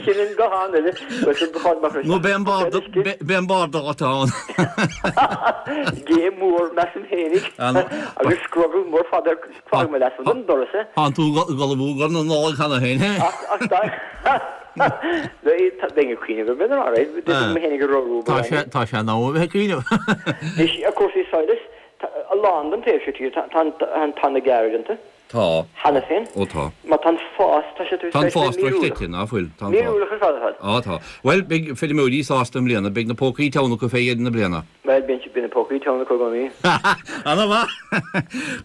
Sin an guthán eile. Nó beidh an bord, beidh an bord agat ann. Gé mór, measaim fhéinig. Agus scrogall mór fada ar fág mé leat an doras é. Tánn tú ag ullmhú do na Nollag cheana féin, he? Ach, ach dá, bheinn ag cuimhneamh ar bith, alright, mé féinig a roghnú. Tá sé, tá sé in am a bheith ag cuimhneamh. Anois, cúrsaí sadhlas, Tá a lán den taobh seo tíre, tá an, tá an gearradh déanta. Tá. Cheana féin. Ó tá. Mar tá an fás, tá sé tar Tá an éis fás bheith míorúilach. dochreidte, ná fuil? Tá an fás. Míorúilach ar fad ar fad. Á tá. Bhuel, beidh feirmeoirí sásta i mbliana, beidh na pócaí teann acu fé dheireadh na bliana. Bhuel, bíonn bíonn na pócaí teann acu i gcónaí. Ana mhaith!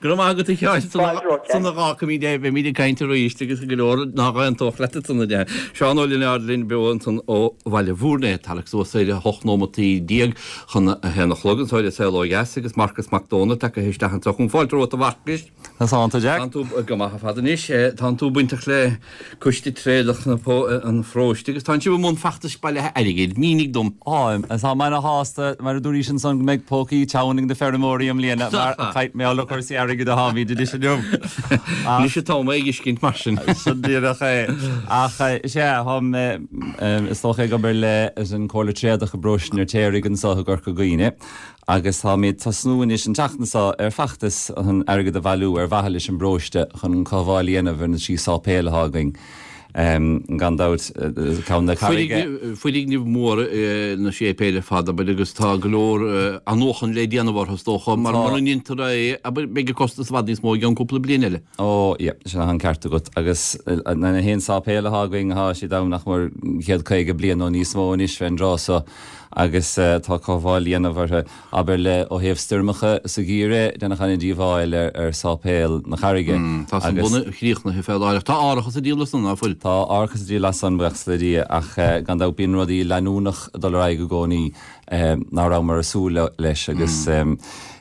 Go raibh maith agat a Sheáin, Fáilte romhat, san a dh'fhágfaimid é, beimid ag caint arís agus go leor nach aontódh leat ansan a deir. Seán Ó Lionáird linn beo ansan ó Bhaile Bhúirne, tarrac suas ar 18 nóimeataí chun a haon a chlog anso ar An Saol Ó Dheas agus Marcas Mac Dónaill tagtha isteach anso chugam. Fáilte romhat a Mharcais. Conas tánn tú, Jack? Tánn tú go maith ar fad anois. Tánn tú bainteach le Coiste Tréadach an Pharóiste agus tánn sibh i mbun feachtais bailithe airgid. Mínigh dom. Táim. Tá mé ana-shásta, mar a dúraís ansan, go mbeidh pócaí teann ag na feirmeoirí i mbliana mar mar gheall ar chúrsaí airgid atáimid anois inniu. Anois atá mé ag thuiscint mar sin. Sin díreach é. Ach is ea, táim is dócha ag obair leis an Comhairle Tréadach i bparóiste an Fheirtéaraigh anso i gCorca Dhuibhne. Agus táimid ag tosnú anois an tseachtain seo ar feachtas chun airgead a bhailiú ar mhaithe leis an bparóiste chun cothabháil a dhéanamh ar na trí sáipéal atá againn. Gan dabht, ceann na Carraige. Foirgnimh mhóra na séipéil ar fad, abair, agus tá go leor athnuachan le déanamh orthu, is dócha, mar mura ndéantar é, abair, beidh an costas i bhfad níos mó i gceann cúpla bliain eile. Ó, yeah, sin an ceart agat. Agus na haon sáipéal atá againn, tá siad ann nach mór 150 bliain nó níos mó anois fén dtráth so. agus tá cothabháil le dhéanamh orthu, abair le ó thaobh stoirmeacha sa gheimhreadh, déanadh an-díobháil ar Sáipéal na Carraige. Tá san bunaithe críochnaithe fé láthair ach tá árachas á dhíol as san, ná fuil? Tá árachas á dhíol as san, buíochas le Dia, ach gan dabht bíonn rudaí leanúnach ag dul ar aghaidh i gcónaí ná rabhamar ag súil leis agus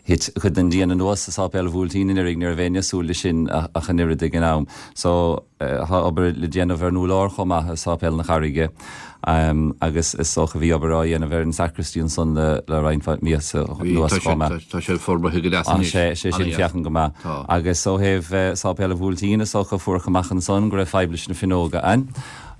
thit cuid den díon anuas i Sáipéal an Bhuailtín anuraidh, ní raibh éinne ag súil leis sin ach an oiread ag an am. So. Tá obair le déanamh ar an úrlár chomh maith i Sáipéal na Carraige agus is dócha bhí obair á dhéanamh ar an sacristy ansan le roinnt míosa anuas chomh maith. Tá sé forbartha go deas anois. Tá sé sin féachaint go maith. Agus ó thaobh Sáipéal an Bhuailtín is dócha fuarthas amach ansan go raibh fadhb leis na fuinneoga ann.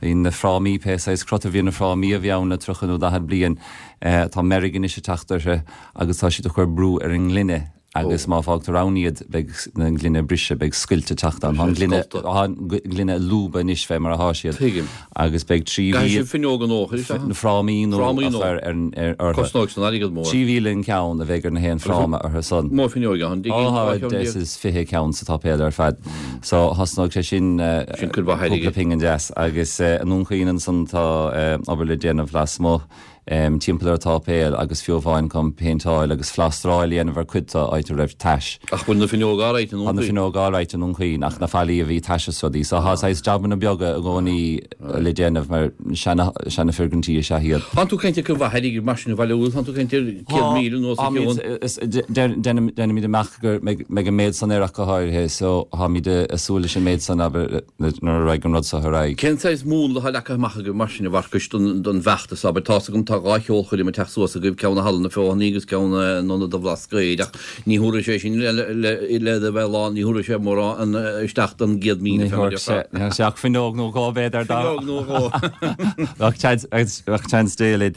Bhí na frámaí, pé saghas crot a bhí ar na frámaí a bhí ann le 30 nó 40 bliain, tá meirg anois ag teacht orthu agus tá siad ag cur brú ar an ngloine. agus má fágtar ann iad beidh an ghloine ag briseadh, beidh scoilt ag teacht ann. Tá an ghloine, tá an ghloine ag lúbadh anois fé mar atá siad. Tuigim. Agus beidh 3,000. Caithfidh sibh fuinneoga nua a chur isteach? Na frámaí nua a chur ar, ar, orthu. Cosnóidh san airgead mór. 3,000 an ceann a bheidh ar na haon fráma orthu san. Mó fuinneoige ann, Ó tá deich is 20 ceann sa tsáipéal ar fad. So thosnóidh sé sin Sin cuid mhaith airgid. cúpla pingin deas. Agus i nDún Chaoin ansan tá obair le déanamh lasmuigh. timpeall ar an tsáipéal agus fiú amháin chun péinteáil agus plástráil a dhéanamh ar cuid de áit a raibh tais. Ach bhfuil na fuinneoga alright i nDún Chaoin? Tá na fuinneoga alright i nDún Chaoin ach na fallaí a bhí tais is rudaí. So tá saghas jabanna beaga i gcónaí le déanamh mar seana seana-fhoirgintí is ea iad. Tánn tú ag caint ar cuid mhaith airgid mar sin a bhailiú, tánn tú ag caint ar 100,000 anuas a cheann. Déanaimid amach go mbeidh an méid san air ach go háirithe so táimid ag súil leis an méid san abair. nuair a raghaidh an rud seo ar aghaidh. Cén saghas múnla atá leagtha amach agaibh mar sin, a Mharcais, don bhfeachtas, abair? Tá's agam tá 2 cheolchoirm ag teacht suas agaibh, ceann i Halla na Feothanaí agus ceann in Ionad an Bhlascaoid, ach ní thabharfaidh sé sin le a bheith lán, ní thabharfaidh sé mórán isteach don 100,000 Ní thabharfaidh sé, ní thabharfaidh sé ach fuinneog nó dhó b'fhéidir dá. Fuinneog nó dhó. Bheadh seans Dé linn.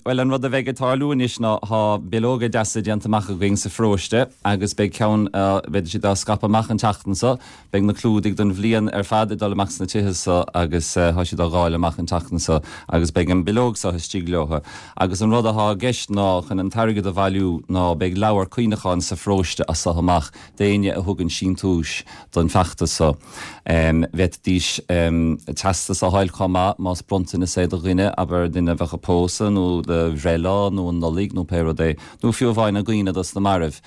Bhuel, an rud a bheidh ag tarlú anois ná tá bileoga deasa déanta amach againn sa pharóiste agus beidh ceann, beidh siad á scaipeadh amach an tseachtain seo. Beidh na clúdaigh don bhliain ar fad ag dul amach sna tithe so agus tá siad á dháileadh amach an tseachtain so agus beidh an bileog so istigh leo. Agus an rud athá i gceist ná chun an t-airgead a bhailiú ná beidh leabhar cuimhneacháin sa pharóiste as so amach d'éinne a thugann síntiúis don feachtas so. Bhféadfaidís teastas a fháil chomh maith más bronntanas é do dhuine, abair duine a bheadh ag pósadh nó do bhreithlá nó an Nollaig nó pé rud é, nó fiú amháin i gcuimhne dos na mairbh.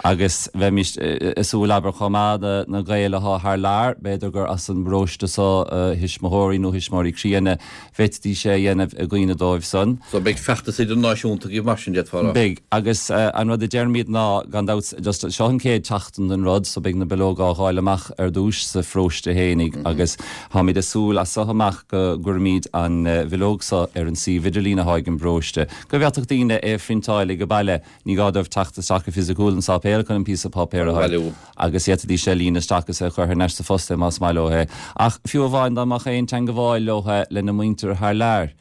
Agus bheimis ag súil, abair, chomh maith, na Gaeil athá thar lear, b'fhéidir gur as an bparóiste so a thuismitheoirí nó thuismitheoirí críonna, bhféadfaidís é a dhéanamh i gcuimhne dóibh san. So beidh feachtas idirnáisiúnta agaibh mar sin, d'fhéadfá a rá. Beidh. Agus an rud a deirimid ná, gan dabht, just seo an chéad tseachtain den rud, so beidh na bileoga á dháileadh amach ar dtúis sa pharóiste fhéinig agus táimid ag súil as so amach go gcuirfimid an bhileog so ar an suíomh idirlín athá ag an bparóiste, go bhféadfadh daoine é a phriontáil ag baile. Ní gá dóibh teacht isteach go fisiciúil an sáipéal chun an píosa páipéir a fháil agus d'fhéadfaidís é a líonadh isteach agus é a chur thar n-ais sa phost é más maith leo é. Ach fiú amháin dá mbeadh aon teangabháil leo lena muintir thar lear.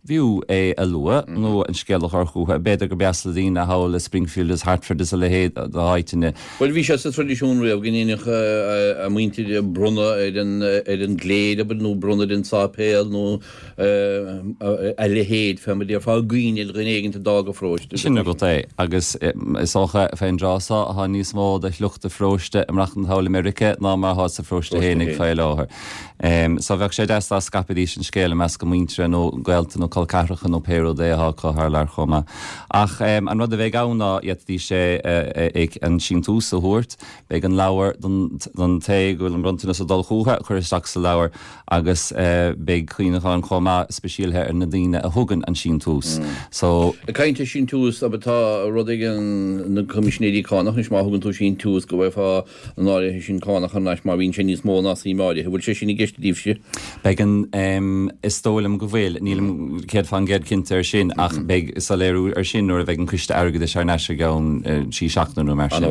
B'fhiú é a lua, nó an scéal a chur chucu. B'fhéidir gur dheas le daoine thall i Springfield is Hartford is a leithéid d'áiteanna. Bhuel, bhí sé sa traidisiún riamh go ndéanfadh a muintir bronnadh ar an ar an gcléir, abair, nó bronnadh ar an sáipéal nó a leithéid, fé mar a déarfá, i gcuimhne ar dhuine éigin a d'fhág an pharóiste. Sin agat é. Agus is dócha, fén dtráth so, tá níos mó de shliocht an pharóiste ag maireachtaint thall i Meiriceá ná mar atá sa pharóiste fhéinig fé láthair. So bheadh sé deas dá scaipfidís an scéal i measc a muintire nó gaolta nó col ceathracha nó pé rud é atá acu thar lear chomh maith. Ach an rud a bheidh ann ná d'fhéadfaidís é an síntiús a thabhairt, beidh an leabhar don té go bhfuil an bronntanas ag dul chucu a chur isteach sa leabhar agus beidh cuimhneachán chomh maith speisialtha ar na daoine a thugann an síntiús. So. Ag caint ar síntiús, abair tá rud ag na Coimisinéirí Cánach anois má thugann tú síntiús go bhfaighfeá an áirithe sin cánach thar n-ais má bhíonn sé níos mó ná suim áirithe. Bhfuil sé sin i gceist daoibhse? Beidh an, is dóigh liom go bhfuil, nílim 100% cinnte air sin ach beidh soiléiriú air sin nuair a bheidh an Coiste Airgeadais thar n-ais i gceann trí seachtaine nó mar sin.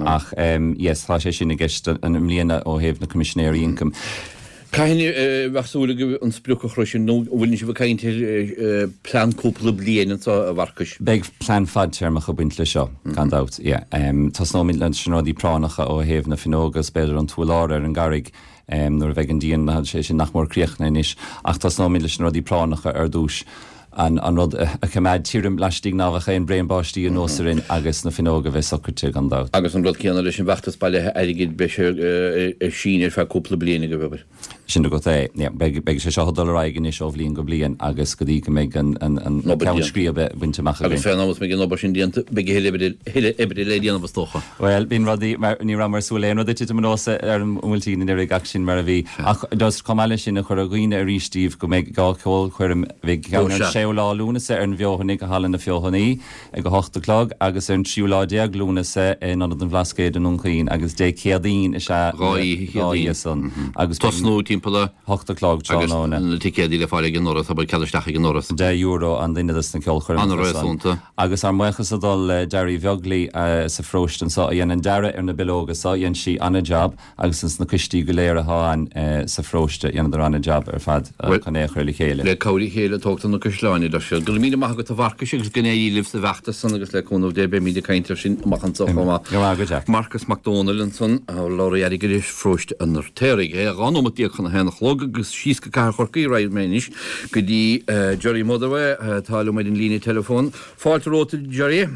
Ach yes, tá sé sin i gceist i mbliana ó thaobh na Coimisinéirí Ioncaim. Cathain a bheadh súil agaibh an sprioc a shroisint nó an bhfuil sibh ag caint ar plean cúpla bliain anseo, a Mharcais? Beidh plean fadtéarmach ag baint leis seo, gan dabht, yeah. Tosnóimid leis na rudaí práinneacha ó thaobh na fuinneoga is b'fhéidir an t-urlár ar an gcarraig nuair a bheidh an díon, sé sin nach mór críochnaithe anois, ach tosnóimid leis na rudaí práinneacha ar dtús. An rud a choimeád tirim laistigh ná bheadh aon braon báistí anuas orainn agus na fuinneoga a bheith socraite, gan dabht. Agus an rud céanna leis an bhfeachtas bailithe airgid, beidh sé ar síneadh ar feadh cúpla bliain agaibh, abair. Sin agat é. Yeah, beidh, beidh sé seo ag dul ar aghaidh anois ó bhliain go bliain agus go dtí go mbeidh an, an, an Obair ceann déanta. scríbe bainte amach againn. Agus fén am is mbeidh an obair sin déanta, beidh a thuilleadh oibre, thuilleadh oibre le déanamh is dócha. Bhuel, bíonn rudaí mar, ní rabhamar ag súil le aon rud ag titim anuas ar an mBuailtín anuraidh ach sin mar a bhí. Ach just chomh maith leis sin a chur i gcuimhne arís daoibh go mbeidh 2 cheolchoirm, beidh ceann ar an séú lá Lúnasa ar an bhFeothanaigh i Halla na Feothanaí ag a hocht a chlog agus ar an tríú lá déag Lúnasa in Ionad an Bhlascaoid i nDún Chaoin agus Dé Céadaoin is ea na 2 oíche san agus beidh Tosnú timpeall a hocht a chlog agus tráthnóna. na ticéadaí le fáil ag an ndoras, abair cead isteach ag an ndoras. €10 an duine dos na ceolchoirmeacha san. An-réasúnta. Agus ár mbuíochas ag dul le Jerry Bheaglaoi sa pharóiste anso a dhein an dearadh ar na bileoga so, dhein sí an-jab agus ins na coistí go léir athá ann sa pharóiste, dheineadar an-jab ar fad chun é a chur le chéile. Le cabhair a chéile tógtar na caisleáin, a deir siad. Go raibh míle maith agat a Mharcais agus go n-éirí libh sa bhfeachtas san agus le cúnamh Dé beimíd ag caint air sin amach anso chomh maith. Go raibh maith agat Jack. Marcas Mac Dónaill ansan, urlabhraí airgeadais pharóiste an Fheirtéaraigh. 12 nóimeat chun a haon a chlog agus síos go Cathair Chorcaí raghaidh mé anois go dtí Gerry Motherway atá liom ar an líne teileafóin. Fáilte romhat a Gerry.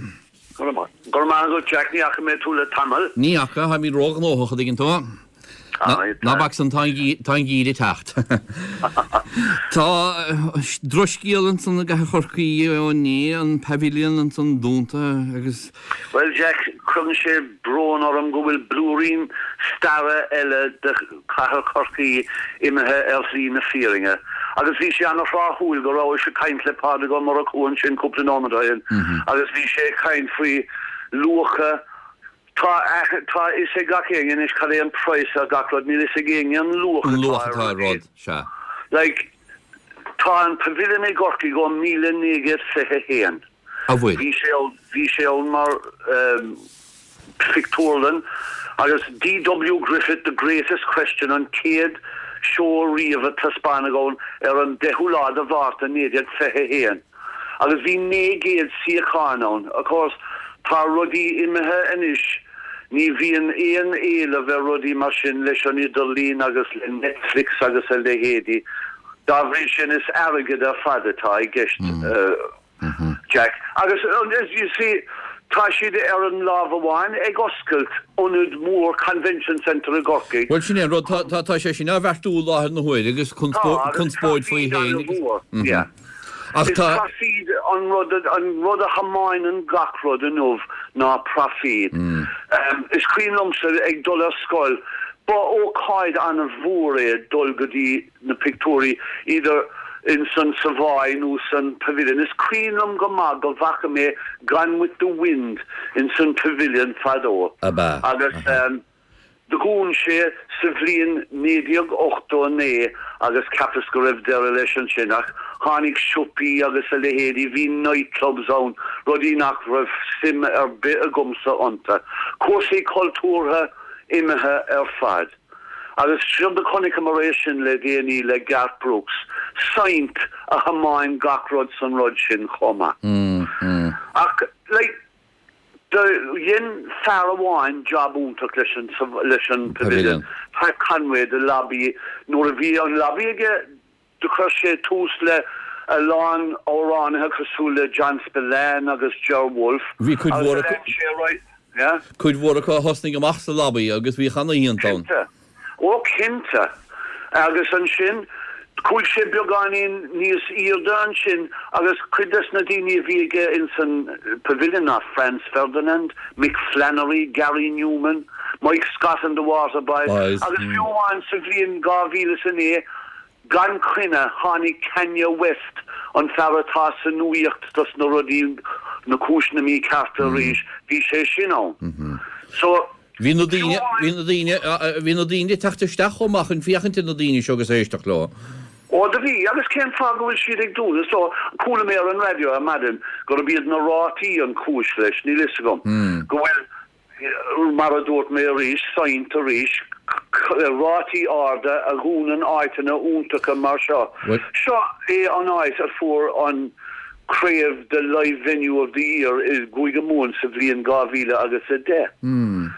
Go raibh maith agat Jack, ní fhaca mé tú le tamall. Ní fhaca, táimid róghnóthach, a dtuigeann tú. Ná bac san, tá an geimhreadh ag teacht. Tá drochscéal ansan i gCathair Chorcaí ó inné, an Pavilion ansan dúnta agus. Bhuel Jack, cuireann sé brón orm go bhfuil blúirín staire eile de chathair Chorcaí imithe ar shlí na fírinne. Agus bhí sé ana-thráthúil go rabhais ag caint le Pádraig Ó Murchú ansin cúpla nóiméad ó shin agus bhí sé ag caint faoi luacha Tá tá a fhios ag gach éinne anois cad é an praghas ar gach rud, níl a fhios ag éinne an luach An luach atá ar rud, sea. Like, tá an Pavilion i gCorcaigh ó 1921. A bhfuil? Bhí sé ann, bhí sé ann mar phictiúrlann agus D.W. Griffith, The Greatest Question an chéad seó riamh a taispeánadh ann ar an 10ú lá de Mhárta 1921 agus bhí 900 suíochán ann. Of course, tá rudaí imithe anois, ní bhíonn aon éileamh ar rudaí mar sin leis an idirlíon agus le Netflix agus a leithéidí. Dá bhrí sin, is airgead ar fad atá i gceist. Jack. Agus, you see, tá siad ar an lámh amháin ag oscailt ionad mór Convention Centre i gCorcaigh. Bhuel, sin é an rud, tá, tá sé sin á bheartú i láthair na huaire agus conspóid faoi féin agus. Yeah. Ach tá. Is proifíd an rud, an rud a thiomáineann gach rud inniu ná proifíd. Is cuimhin liomsa ag dul ar scoil, ba ócáid an-mhór é dul go dtí na pictiúirí, idir in san Savoy nó san Pavilion. Is cuimhin liom go maith go bhfaca mé Gone with the Wind in san Pavilion fadó. Ab ea? Agus dhún sé sa bhliain 1989 agus cheapas go raibh deireadh leis ansin ach tháinig siopaí agus a leithéidí, bhí night clubs ann, rudaí nach raibh suim ar bith agamsa iontu. Cúrsaí cultúrtha imithe ar fad. Agus séard a chonaiceamar é sin le déanaí le Garth Brooks, saint a thiomáin gach rud san rud sin chomh maith. Ach, like, do dhein fear amháin jab iontach leis an, leis an Pavilion, Pat Conway, The Lobby, nuair a bhí an Lobby aige, Do chuir sé tús le a lán amhránaithe cosúil le John Spillane agus Ger Wolfe Bhí cuid mhór acu, cuid mhór acu a thosnaigh amach sa Lobby agus bhíodh ana-oícheanta ann. Cinnte. Ó cinnte. Agus ansin chuaigh sé beagáinín níos airde ansin agus cuid des na daoine a bhí aige ins an Pavilion ná Franz Ferdinand, Mick Flannery, Gary Numan, Mike Scott and the Waterboys agus fiú amháin sa bhliain 2009 Gan choinne, tháinig Kanye West, an fear atá sa nuaíocht dos na rudaí, na cúiseanna míchearta arís, bhí sé sin ann. So, Bhí na daoine, bhí na daoine, bhí na daoine ag teacht isteach chomh maith chun féachaint ar na daoine seo agus éisteacht leo. Ó, do bhí, agus cén fáth go bhfuil siad ag dúnadh? So, chuala mé ar an raidió ar maidin gurb iad na rátaí an chúis leis, níl fhios agam, go bhfuil, Mar a dúirt mé arís, saint arís, rátaí arda a dhúnann áiteanna iontacha mar seo. Seo é an áit a fuair an craobh de Live Venue of the Year i gCúige Mumhan sa bhliain 2000 agus 10.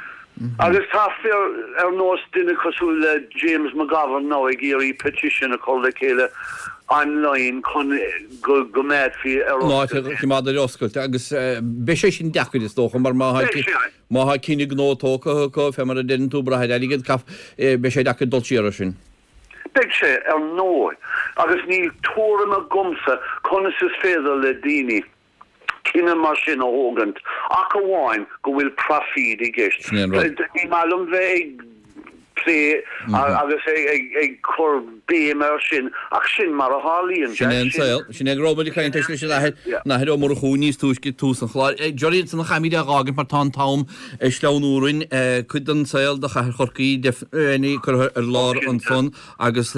Agus tá fir ar nós duine cosúil le James McGovern now ag iarraidh petition a chur le chéile online chun go gcoimeádfaí ar oscailt é. An áit a choimeád ar oscailt agus beidh sé sin deacair is dócha mar má má tá cinneadh gnó tógtha acu fé mar a deireann tú brath ar airgead beidh sé deacair dul siar air sin. Beidh sé, ar ndóigh, agus níl tuairim agamsa conas is féidir le daoine cinneadh mar sin a thógaint ach amháin go bhfuil proifíd i gceist. Sin é an rud. Ní maith liom bheith ag plé agus ag cur béim air sin ach sin mar a tharlaíonn, Sin é an saol. Sin é go raibh muid ag caint leis an Athair, an Athair Ó Murchú níos túisce ag tús an chláir. Gerry, ansan caithfimid é a dh'fhágaint mar tá an t-am ag sleamhnú orainn. Cuid den saol de chathair Chorcaí curtha ar lár ansan agus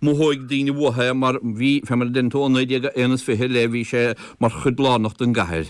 Mothóidh daoine uathu é mar bhí, fé mar a deireann tú, ó 1921 i leith bhí sé mar chuid lárnach den gcathair.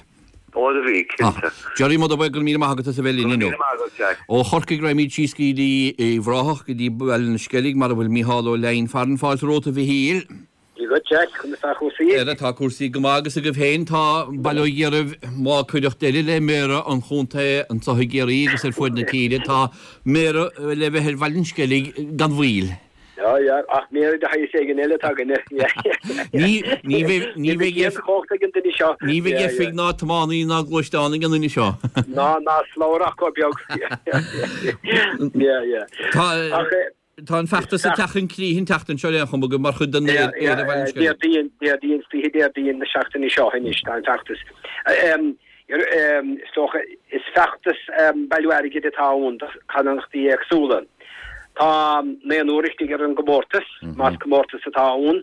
Ó do bhí, cinnte. Gerry, mo do bhuíoch, go raibh míle maith agat as a bheith linn inniu. Go raibh míle maith agat, Jack. Ó Chorcaigh raghaimid síos go dtí Uíbh Ráthach, go dtí Baile an Sceilg, mar a bhfuil Micheál Ó Leidhin farainn. Fáilte romhat a Mhichíl. Dia dhuit, Jack, conas tá cúrsaí? Ara, tá cúrsaí go maith agus agaibh féin. Tá, bail ó Dhia oraibh, má cuireadh deireadh le Méara an chontae anso i gCiarraí agus ar fuaid na tíre, tá Méara le bheith ar Bhaile an Sceilg gan mhoill. Yeah, yeah, ach méara de shaghas éigin eile atá againne. Ní, ní bheidh, ní bheidh aon chumhacht ag an duine seo. Ní bheidh oifig ná tiománaí ná gluaisteán ag an duine seo. Ná, ná slabhra ach chomh beag. Yeah, yeah. Tá, tá an feachtas ag teacht chun críche an tseachtain seo ar aon chuma agaibh mar chuid den Éire Bhaile an Sceilg. Déardaoin, Déardaoin, is oíche Déardaoin na seachtaine seo anois, tá an feachtas. Is dócha, is feachtas bailiú airgid atá ann do charthanachtaí éagsúla. Tá naonúr istigh ar an gcomórtas, más comórtas atá ann.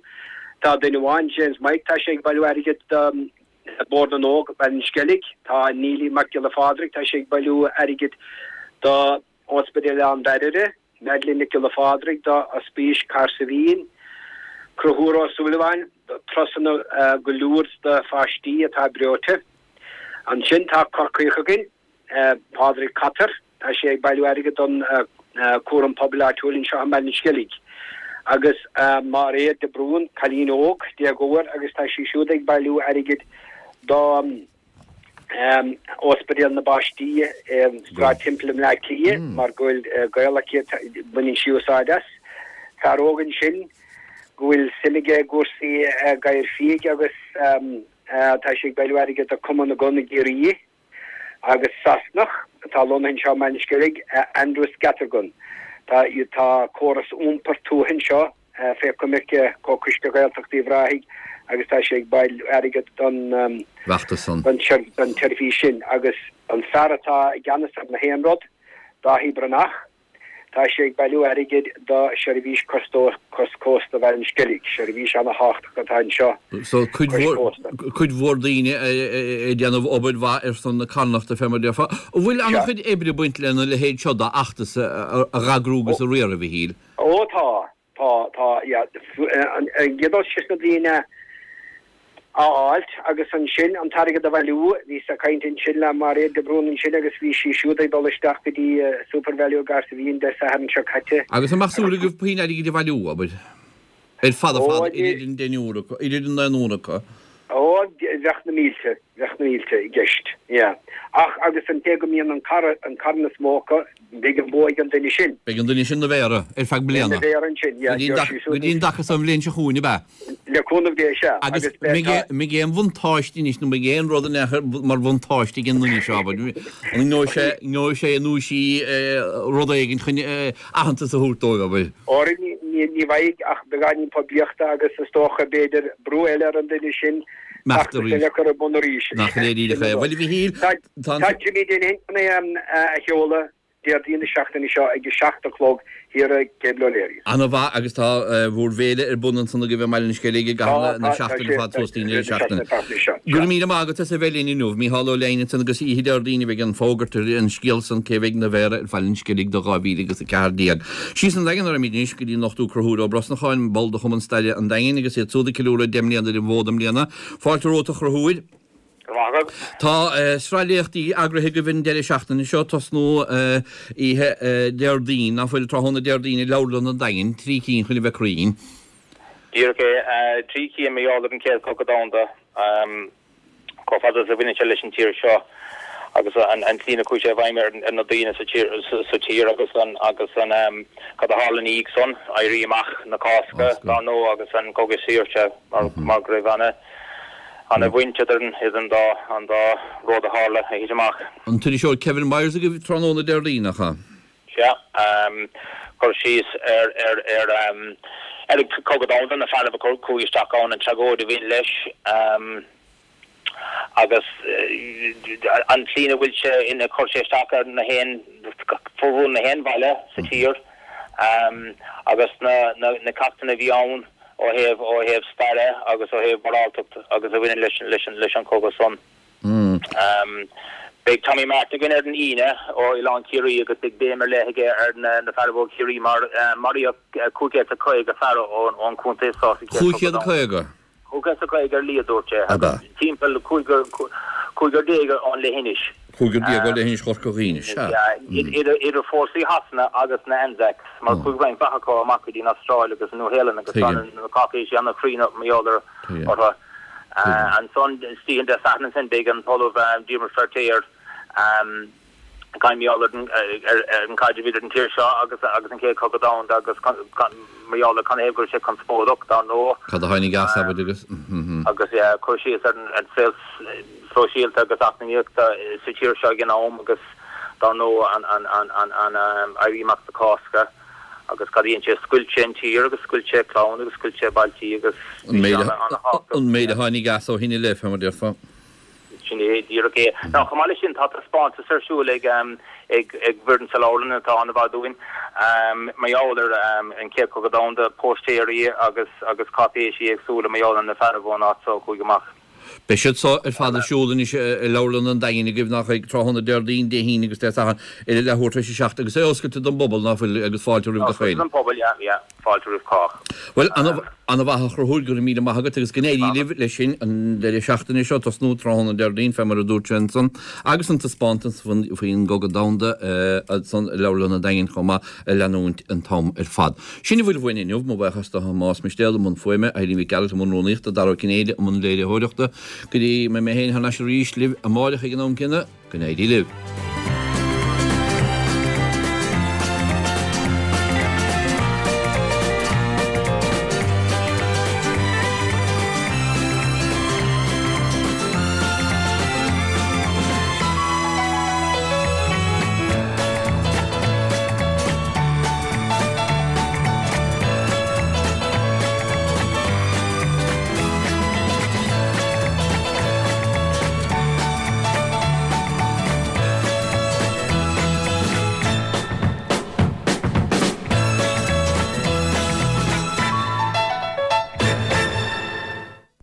Tá duine amháin, James Mike, tá sé ag bailiú airgid do Bord na nÓg, Baile an Sceilg. Tá Neilí Mac Giolla Phádraig, tá sé ag bailiú airgid do Ospidéal Oileán Mhairire. Madeline Nic Giolla Phádraig do Ospís Cahersiveen, Conchúr Ó Súilleabháin do turasanna go Lourdes do pháistí atá breoite. Ansin tá Corcaíoch againn, Pádraig Cotter, tá sé ag bailiú airgid don Cúram Pobail Áitiúil anseo i mBaile an Sceilg. Agus Máiréad de Brún, cailín óg, déagóir, agus tá sí siúd ag bailiú airgid do. Ospidéal na bPáistí i Sráid Temple i mBleá Cliath mar go bhfuil gaol aici, baineann sí úsáid as. Fear óg ansin go bhfuil suim aige i gcúrsaí gadhair fiaigh agus tá sé ag bailiú airgid do Cumann na gCon i gCiarraí. Agus Sasanach atá lonnaithe anseo i mBaile an Sceilg, Andrew Scattergun. Tá córas iompair tuaithe anseo. fé choimirce Comhchoiste Ghaeltacht Uíbh Ráthaigh agus tá sé ag bailiú airgead don bhfeachtas san. don tseirbhís sin agus an fear atá i gceannas ar na haon rud, Dáithí Breathnach, tá sé ag bailiú airgid do sheirbhís cois cósta Bhaile an Sceilg, seirbhís ana-thábhachtach atá anseo So cuid cois mhór, cósta. cuid mhór daoine ag déanamh obair mhaith ar son na carthanachta fé mar a déarfá. An bhfuil an-chuid oibre ag baint lena leithéid seo d'fheachtas a dh'eagrú agus a riar, a Mhichíl? Ó tá, tá, tá, yeah. An gcéad dul síos na daoine. A fháilt agus ansin an t-airgead a bhailiú. Bhíos ag caint ansin le Mairéad de Brún ansin agus bhí sí siúd ag dul isteach go dtí Supervalu i gCahersiveen Dé Sathairn seo caite. Agus an mbeadh súil agaibh puinn airgid a bhailiú, abair, ar fad ar fad idir an deichniúr acu, idir an naonúr acu? Ó, bheadh na mílte, bheadh na mílte i gceist, yeah. Ach agus an té go mbíonn an carn is mó acu, Beidh an bua ag an duine sin. Beidh an duine sin 'na mhéara ar feadh bliana. Ina mhéara ansin, yeah. Go dtí an dtaca so an bhliain seo chugainn, ab ea? Le cúnamh Dé, sea. Agus mbeidh aon bhuntáiste anois, nó mbeidh aon rud in aon chor mar bhuntáiste ag an nduine seo, abair, an ngeobhaidh sé, ngeobhaidh sé nó sí rud éigin chun aitheantas a thabhairt dóibh, abair? Óra, ní bheidh ach beagáinín poiblíochta agus is dócha, b'fhéidir, brú eile ar an duine sin feachtas eile a chur ar bun arís. Nach léirídeach é. Bhuel, a Mhichíl, Tá Tá Jimmy Denny chun é a sheoladh Déardaoin na seachtaine seo ag 7 a chlog thiar i Cable O'Leary's. Ana mhaith agus tá bhur bhféile ar bun ansan agaibh i mBaile an Sceilg i gcaitheamh na seachtaine ar fad suas dtí an deireadh seachtaine. Go raibh míle maith agat as a bheith linn inniu. Mícheál Ó Leidhin ansan agus oíche Déardaoin a bheidh an fógairt ar an scéal san cé bheidh 'na mhéara ar Bhaile an Sceilg do 2014. Síos an Daingean a raghaimid anois go dtí an Dr Conchúr Ó Brosnacháin, ball de Chumann Staire an Daingin agus iad súd ag ceiliúradh 10 mbliana ar an bhfód i mbliana. Fáilte romhat a Chonchúir. Go raibh maith agat. Tá sraith léachtaí eagraithe agaibh an deireadh seachtaine seo, tosnú oíche Déardaoin, ná fuil, tráthnóna Déardaoin i Leabharlann an Daingin, trí cinn chun a bheith cruinn. Díreach é, trí cinn mar gheall ar an Chéad Chogadh Domhanda, chomh fada is a bhaineann sé leis an tír seo agus an tslí ina chuaigh sé i bhfeidhm ar na daoine sa tír agus an agus an cad a tharla ina dhiaidh san, Éirí Amach na Cásca, dar ndóigh, agus an Cogadh Saoirse mar go raibh ana Ana-bhaint idir an dá an dá rud a tharla, a thit amach. An t-iriseoir Kevin Myers agaibh tráthnóna Déardaoin, nach ea? Sea. Cur síos ar ar ar ar an Cogadh Domhanda, na fearaibh a chuaigh isteach ann, an tragóid a bhain leis agus an tslí ina bhfuil sé, ina chuir sé isteach ar na haon, formhór na haon bhaile sa tír agus na na ceachtanna a bhí ann. ó thaobh ó thaobh staire agus ó thaobh moráltacht agus a bhaineann leis leis leis an chogadh san. Beidh Tommy Martin againn ar an Aoine ó Oileán Ciarraí agus beidh béim ar leith aige ar na na fearaibh ó Chiarraí mar maraíodh 550 fear ón ón chontae so sa Chéad Chogadh Domhanda. 550? 550 ar a laghad, dúirt sé, agus timpeall cúigear déag ón leithinis. Cúigear déag ó leithinis Chorca Dhuibhne, sea. Idir fórsaí Shasana agus na Anzacs, mar chuaigh roinnt mhaith acu amach go dtí an Astráil agus an Nua-Shéalainn agus tá na cáipéisí an-chruinn mar gheall orthu. Ansan, istoíche Dé Sathairn ansin, beidh an tOllamh Diarmuid Feirtéar, ag caint mar gheall ar an caidreamh idir an tír seo agus agus an Chéad Chogadh Domhanda agus mar gheall ar canathaobh go raibh sé conspóideach, dar ndóigh. Cad a tháinig as, abair, agus. Agus cur síos ar an saol sóisialta agus eacnamaíochta sa tír seo ag an am agus dar ndóigh an Éirí Amach na Cásca agus cad a dhein sé, scoilt sé an tír agus scoilt sé clann agus scoilt sé bailtí agus bhí sé ana-thábhachtach. An méid a tháinig as ó shin i leith, fé mar a déarfá. Sin é díreach é. Now, chomh maith leis sin, tá taispeántas ar siúl ag ag foireann sa leabharlann atá an-mhaith dúinn mar gheall ar an Chéad Chogadh Domhanda, póistéirí agus agus cáipéisí éagsúla mar gheall ar na fearaibh ón áit so a chuaigh amach. Beidh siad so ar fad ar siúl anois i Leabharlann an Daingin agaibh, nach ea, tráthnóna Déardaoin, Dé hAoine agus Dé Sathairn ar a leathuair tar éis a seacht agus é oscailte don bpobal, ná fuil, agus fáilte roimh gach éinne. Oscailte don phobal, yeah, yeah. Fáilte roimh chách. Bhuel, ana-mhaith a Chonchúir, go raibh míle maith agat agus go n-éirí libh leis sin an deireadh seachtaine seo, tosnú tráthnóna Déardaoin fé mar a dúirt sé ansan, agus an taispeántas faoin gCogadh Domhanda ansan i Leabharlann an Daingin chomh maith a leanúint an t-am ar fad. Sin a bhfuil uainn inniu, mo bhuíochas do Thomás Mistéal i mbun fuaime, Eileen Mhic Gearailt i mbun rúnaíochta, Dara Ó Cinnéide i mbun léiritheoireachta. Go dtí go mbeidh mé féin thar n-ais arís libh amáireach ag an am céanna, go n-éirí libh.